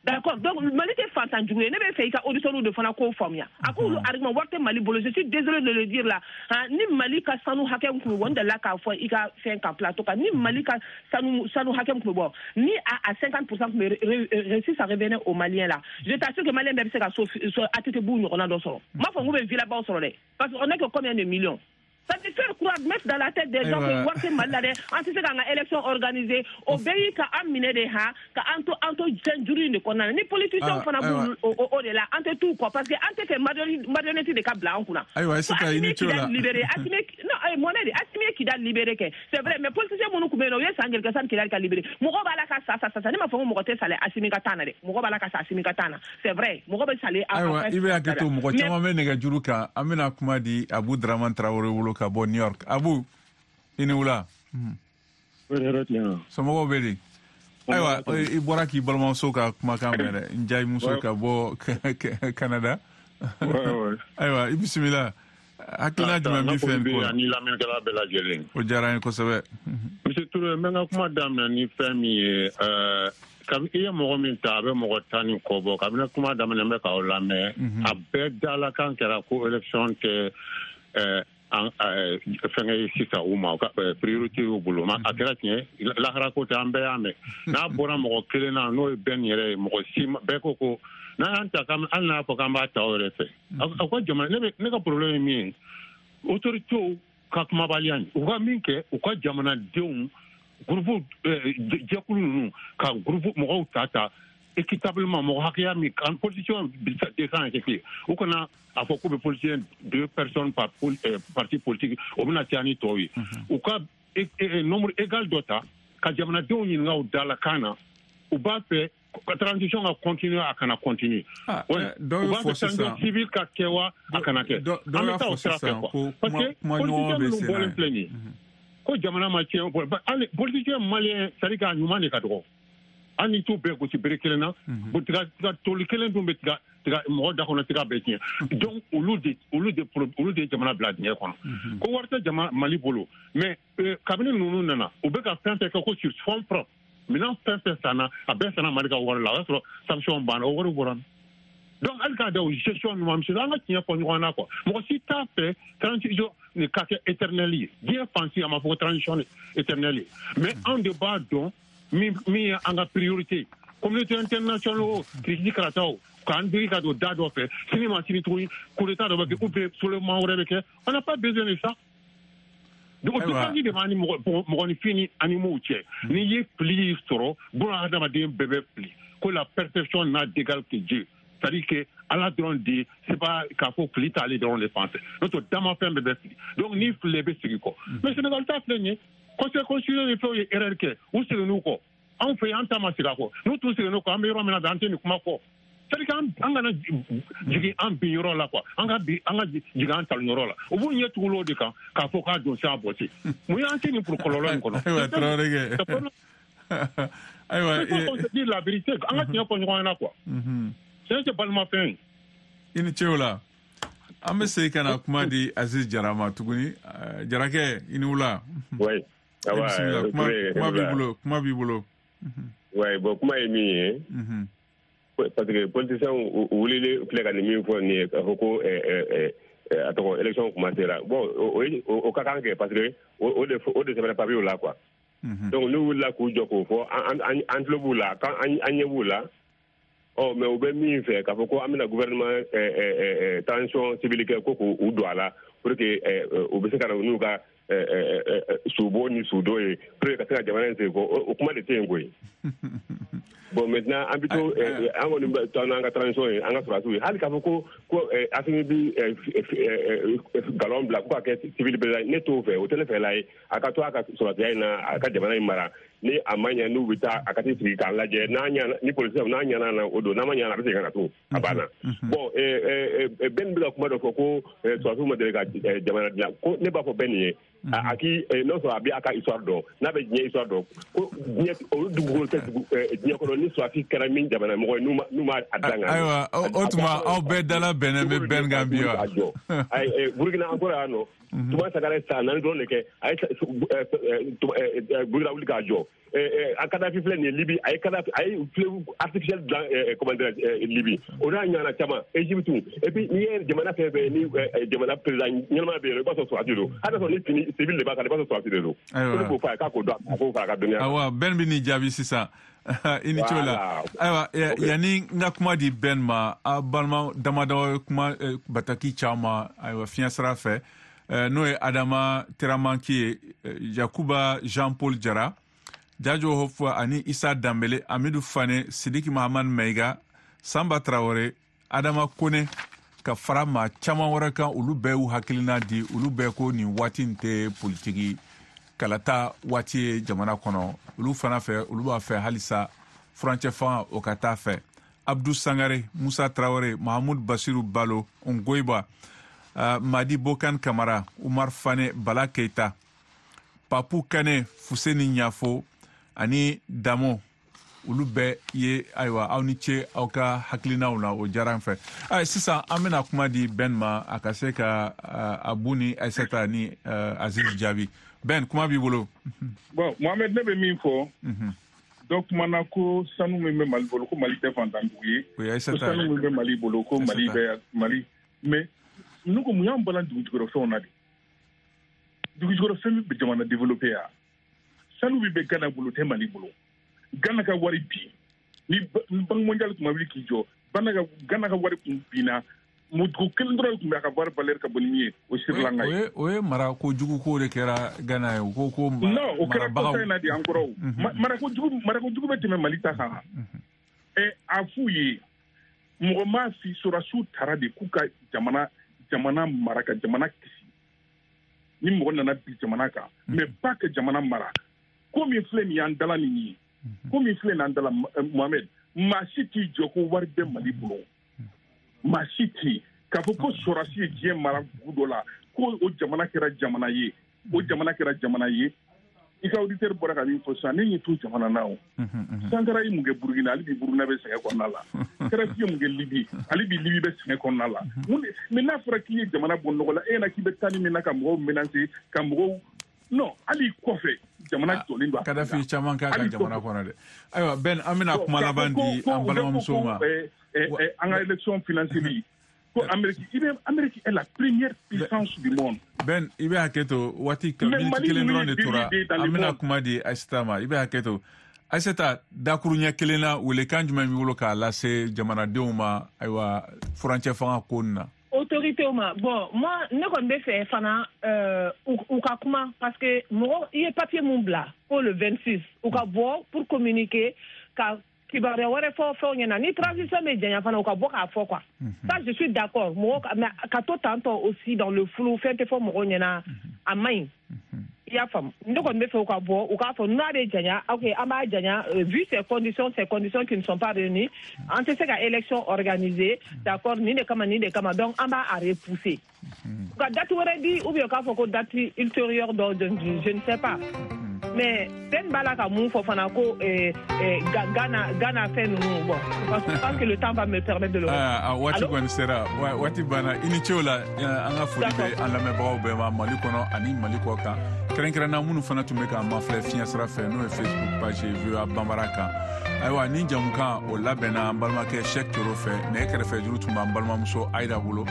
D'accord, donc Mali tɛ fantan jugu ye. Ne bɛ fɛ i ka auditeurs de fana k'o faamuya. A k'olu argument, wari tɛ Mali bolo, je suis désolé de le dire là. Ni Mali ka sanu hakɛ min tun bɛ bɔ, n delila k'a fɔ i ka fɛn kan plateau kan, ni Mali ka sanu hakɛ min tun bɛ bɔ, ni à 50% tun bɛ réussi, ça revenait aux Maliens là. Je t'assure que Malien bɛɛ bɛ se ka so ATT b'u ɲɔgɔnna dɔ sɔrɔ. N m'a fɔ n k'u bɛ villa baw sɔrɔ dɛ, parce que on est que combien de millions? Ça te faire croire, mettre dans la tête des gens que wari tɛ Mali la dɛ, an tɛ se k'an ka élection organiser. O bɛɛ y'i ka an minɛ de ha, ka an to fɛn juru in de kɔnɔna na. Ni politiciens fana b'u o de la, an tɛ t'u kɔ parce que an tɛ fɛ marionnette de ka bila an kunna. Ayiwa, Aïssata, i ni ce la. Libéré, Assimi, non, Mohamed, Assimi ye Kidal libéré kɛ, c'est vrai, mais politiciens minnu tun bɛ yen nɔ, u ye san joli kɛ sani Kidal ka libéré? Mɔgɔ b'a la ka sa sa sa, ne m'a fɔ ko mɔgɔ tɛ sale Assimi ka taa na dɛ, mɔgɔ b'a la ka sa Assimi ka taa na, c'est vrai, mɔgɔ bɛ sale. Ayiwa, i bɛ hakɛ to, mɔgɔ caman bɛ nɛgɛjuru kan, an bɛna kuma di Abu Dramane Traoré bolo ka bɔ New York. Abu, i ni wula. Somɔgɔw bɛ di? Ayiwa, i bɔra k'i balimamuso ka kumakan mɛn dɛ, n jayimuso ka bɔ Canada. Ayiwa, i bisimila. Hakilina jumɛn b'i fɛ nin ko la? Ani lamɛnnikɛla bɛɛ lajɛlen. O diyara n ye kosɛbɛ. Monsieur Touré, n bɛ n ka kuma daminɛ ni fɛn min ye, kabi i ye mɔgɔ min ta, a bɛ mɔgɔ 10 ni kɔ bɔ. Kabini kuma daminɛ n bɛ k'aw lamɛn, a bɛɛ dalakan kɛra ko élection tɛ fɛnkɛ ye sisan u ma, priorité y'u bolo. A kɛra tiɲɛ, lahara ko tɛ, an bɛɛ y'a mɛn. N'a bɔra mɔgɔ kelen na, n'o ye bɛn yɛrɛ ye, mɔgɔ si bɛɛ ko n'an y'an ta, hali n'a fɔ k'an b'a ta o yɛrɛ fɛ. A ko jamana, ne ka problème ye min ye, autorités ka kumabaliya nin, u ka min kɛ, u ka jamanadenw groupe jɛkulu ninnu ka groupe mɔgɔw ta équitablement, mɔgɔ hakɛya min kan politicien 200 kɛ, u kana a fɔ k'u bɛ politicien 2 personnes par parti politique, o bɛna caya ni tɔw ye. U ka nombre égal dɔ ta ka jamanadenw ɲininka u da la kan na, u b'a fɛ transition ka continuer, a kana continuer. U b'a fɛ transition civile ka kɛ wa, a kana kɛ. An bɛ taa o sira fɛ quoi, parce que politicien minnu bɔlen filɛ nin ye, ko jamana ma tiɲɛ, hali politicien malien, c'est à dire k'a ɲuman de ka dɔgɔ. Hali ni t'u bɛɛ gosi bere kelen na, tiga toli kelen dun bɛ tiga mɔgɔ da kɔnɔ, tiga bɛɛ tiɲɛ. Donc olu de jamana bila dingɛ kɔnɔ. Ko wari tɛ jamana Mali bolo, mais kabini ninnu nana, u bɛ ka fɛn fɛn kɛ ko sur fonds propre, minɛn fɛn fɛn sanna, a bɛɛ sanna Mali ka wari la, o y'a sɔrɔ sanction banna, o wari bɔra. Donc hali k'a da o gestion ninnu ma, monsieur, an ka tiɲɛ fɔ ɲɔgɔn na quoi. Mɔgɔ si t'a fɛ transition nin ka kɛ éternel ye. Diɲɛ fan si a ma fɔ ko transition éternel ye, mais anw de b'a dɔn min ye an ka priorité. Communauté internationale o kirikiti karataw k'an digi ka don da dɔ fɛ, sini ma sini tuguni coup d'état dɔ bɛ kɛ ou bien soulèvement wɛrɛ bɛ kɛ, on n'a pas besoin de ça. Donc o différence de b'an ni mɔgɔninfin ni animaux cɛ. N'i ye fili sɔrɔ, buna hadamaden bɛɛ bɛ fili. Ko la perfection n'a d'égal que Dieu, c'est-à-dire que Ala dɔrɔn de, c'est pas k'a fɔ fili t'ale dɔrɔn de fan fɛ, n'o tɛ damafɛn bɛɛ bɛ fili. Donc n'i fili, i bɛ segin kɔ. Mais Sénégal ta filɛ nin ye, conseil constitutionnel ni fɛnw ye erreur kɛ, u seginn'u kɔ. Anw fɛ yen, an ta ma segin a kɔ. N'u t'u seginn'u kɔ, an bɛ yɔrɔ min na bi, an tɛ nin kuma fɔ. C'est-à-dire qu'an kana jigin an bin yɔrɔ la quoi, an ka jigin an talon yɔrɔ la. U b'u ɲɛ tugu o de kan k'a fɔ k'a don se a bɔ se. Mun y'an se nin kɔlɔlɔ in kɔnɔ? Ayiwa, Traoré kɛ. Ayiwa, il faut qu'on se dise la vérité, an ka tiɲɛ fɔ ɲɔgɔn ɲɛna quoi. Tiɲɛ tɛ balimafɛn ye. I ni ce o la. An bɛ segin ka na kuma di Aziz Jara ma tuguni. Jarakɛ, i ni wula. Oui. Kuma b'i bolo, kuma b'i bolo. Oui, bon, kuma ye min ye, parce que politiciens wulilen filɛ ka nin min fɔ nin ye, k'a fɔ ko a tɔgɔ élection commencera. Bon, o ka kan kɛ parce que o de sɛbɛnna papier la quoi. Donc n'u wulila k'u jɔ k'o fɔ, an tulo b'u la, an ɲɛ b'u la. Ɔ, mais u bɛ min fɛ k'a fɔ ko an bɛna gouvernement transition civile kɛ, ko k'u don a la pour que u bɛ se ka na n'u ka subo ni sudo ye pour que ka se ka jamana in segin kɔ, o kuma de tɛ yen koyi. Bon, maintenant an bɛ to, an kɔni bɛ to n'an ka transition ye, an ka sɔrɔdasiw ye. Hali k'a fɔ ko Assimi bi galon bila ko ka kɛ civil président, ne t'o fɛ, o tɛ ne fɛla ye. A ka to a ka sɔrɔdasiya in na, a ka jamana in mara. Ni a ma ɲɛ, n'u bɛ taa, a ka t'i sigi k'a lajɛ. N'a ɲɛna, ni policiers n'a ɲɛna na, o don. N'a ma ɲɛna, a bɛ segin ka na tun, a banna. Bon, Ben bɛ ka kuma dɔ fɔ ko sɔrɔdasiw ma deli ka jamana dilan. Ko ne b'a fɔ Ben ye, a k'i n'o sɔrɔ a bɛ a ka histoire dɔn, n'a bɛ diɲɛ histoire dɔn, ko diɲɛ olu dugukolo tɛ dugu diɲɛ kɔnɔ ni sɔrɔdasi kɛra min jamana mɔgɔ ye, n'u ma a dan. Ayiwa, o tuma aw bɛɛ dala bɛnnen bɛ Ben kan bi wa? Burukina an kɔrɔ yan nɔ, Tuma Sankara ye san 4 dɔrɔn de kɛ, a ye Burukina wuli k'a jɔ. A Kadafi filɛ nin ye Libi, a ye Kadafi, a ye fleuve artificiel dilan, comment dirais Libi, o n'a ɲɔgɔnna caman, Égypte. Et puis n'i ye jamana fɛn fɛn ni jamana président ɲɛnama bɛ yen, i b'a sɔrɔ sɔrɔdasi don. Hali n'a sɔrɔ ni fini civil de b'a kan, i b'a sɔrɔ sɔrɔdasi de don. Ayiwa, ko ne k'o fɔ a ye k'a k'o dɔn, a k'o fara a ka dɔnniya kan. Ayiwa, Ben bɛ n'i jaabi sisan. I ni ce o la. Ayiwa, yanni n ka kuma di Ben ma, a balima damadɔ ye kuma bataki caman, ayiwa, fiɲɛ sira fɛ, n'o ye Adama Teramanki ye, Yakuba Jean Paul Jara, Jajo Hofwa ani Isa Danbele, Amidu Fane, Sidiki Mahamad Maiga, Samba Traore, Adama Kone, ka fara maa caman wɛrɛ kan. Olu bɛɛ y'u hakilina di. Olu bɛɛ ko nin waati in tɛ politiki kalata waati ye jamana kɔnɔ. Olu fana fɛ, olu b'a fɛ halisa furancɛ fanga o ka taa fɛ. Abdou Sangare, Musa Traore, Mahamud Basiru Balo, Ngoyiba, Madi Bokan Kamara, Umar Fane, Bala Keita, Papu Kane, Fuseni Ɲafo ani Damo, olu bɛɛ ye. Ayiwa, aw ni ce aw ka hakilinaw la, o diyara n fɛ. Ayi, sisan an bɛna kuma di Ben ma, a ka se ka Abu ni Aisata ni Aziz jaabi. Ben, kuma b'i bolo. Bon, Mohamed, ne bɛ min fɔ, dɔ kumana ko sanu min bɛ Mali bolo, ko Mali tɛ fantan dugu ye, ko sanu min bɛ Mali bolo, ko Mali bɛ Mali, mais ne ko mun y'an balan dugujukɔrɔfɛnw na de? Dugujukɔrɔfɛn bɛ jamana développer ya. Sanu min bɛ Ghana bolo tɛ Mali bolo. Ghana ka wari bi, ni Banque mondiale tun ma wuli k'i jɔ, Ghana ka wari tun binna. Dugu kelen dɔrɔn tun bɛ a ka wari valeur ka bon ni min ye, o Sri Lanka ye. O ye mara kojugu ko de kɛra Ghana ye. U ko non, o kɛra kɔsa in na de, an kɔrɔ. Marako jugu bɛ tɛmɛ Mali ta kan. A f'u ye, mɔgɔ m'a fi, sɔrɔdasiw taara de k'u ka jamana mara, ka jamana kisi. Ni mɔgɔ nana bi jamana kan, mais pas que jamana mara. Ko min filɛ nin y'an dala nin ye, ko min filɛ nin y'an dala, Mohamed, maa si t'i jɔ ko wari bɛ Mali bolo. Maa si t'i k'a fɔ ko sɔrɔdasi ye diɲɛ mara dugu dɔ la, ko o jamana kɛra jamana ye, o jamana kɛra jamana ye. I ka auditeur bɔra ka min fɔ sisan, ne ɲɛ t'o jamana na o. Sankara ye mun kɛ Burukina, hali bi Burukina bɛ sɛgɛn kɔnɔna la. Kadafi ye mun kɛ Libi, hali bi Libi bɛ sɛgɛn kɔnɔna la. Mais n'a fɔra k'i ye jamana bɔ nɔgɔ la, e ɲɛna k'i bɛ taa ni min na ka mɔgɔw menacer, ka mɔgɔw non, hali kɔfɛ jamana jɔlen don. Kadafi caman k'a ka jamana kɔnɔ dɛ. Ayiwa, Ben, an bɛna kuma laban di an balimamuso ma. An ka élection financée, ko Amérique, i bɛ Amérique est la première puissance du monde. Ben, i bɛ hakɛ to, waati miniti kelen dɔrɔn de tora, an bɛna kuma di Aïssata ma. I bɛ hakɛ to, Aïssata, dakuruɲɛ kelen na, welekan jumɛn b'i bolo k'a lase jamanadenw ma, ayiwa, furancɛ fanga ko nin na? Autorité ma. Bon, moi ne kɔni bɛ fɛ fana u ka kuma, parce que mɔgɔ i ye papier mun bila ko le 26 u ka bɔ pour communiquer, ka kibaruya wɛrɛ fɔ fɛnw ɲɛna. Ni transition bɛ janya fana, u ka bɔ k'a fɔ quoi. Ça, je suis d'accord. Mɔgɔ, mais ka to tantɔ aussi dans le flou, fɛn tɛ fɔ mɔgɔw ɲɛna, a man ɲi. I y'a faamu? Ne kɔni bɛ fɛ u ka bɔ, u k'a fɔ n'a bɛ janya, ok, an b'a janya, vu ces conditions qui ne sont pas réunies, an tɛ se ka élection organiser, d'accord, nin de kama, nin de kama, donc an b'a repousser. U ka date wɛrɛ di, ou bien u k'a fɔ ko date ultérieure dɔ, je ne sais pas. Mais Ben b'a la ka mun fɔ fana ko Ghana fɛn ninnu, bon, je pense que le temps va me permettre de le. Waati kɔni sera, waati banna. I ni ce o la. An ka foli bɛ an lamɛnbagaw bɛɛ ma Mali kɔnɔ ani Mali kɔ kan, kɛrɛnkɛrɛnna minnu fana tun bɛ k'an mafilɛ fiɲɛ sira fɛ, n'o ye Facebook page ye VOA Bambara kan. Ayiwa, ni jamukan o labɛnna an balimakɛ Cheikh Toro fɛ, nɛgɛ kɛrɛfɛ juru tun b'an balimamuso Ayida bolo.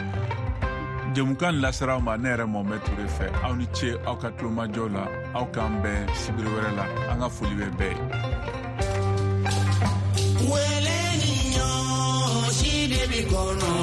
Jamukan lasera aw ma ne yɛrɛ Mohamed Toure fɛ. Aw ni ce aw ka tulomajɔ la. Aw k'an bɛn sibiri wɛrɛ la. An ka foli bɛ bɛɛ ye. Wele ni ɲɔ si de bi kɔnɔ.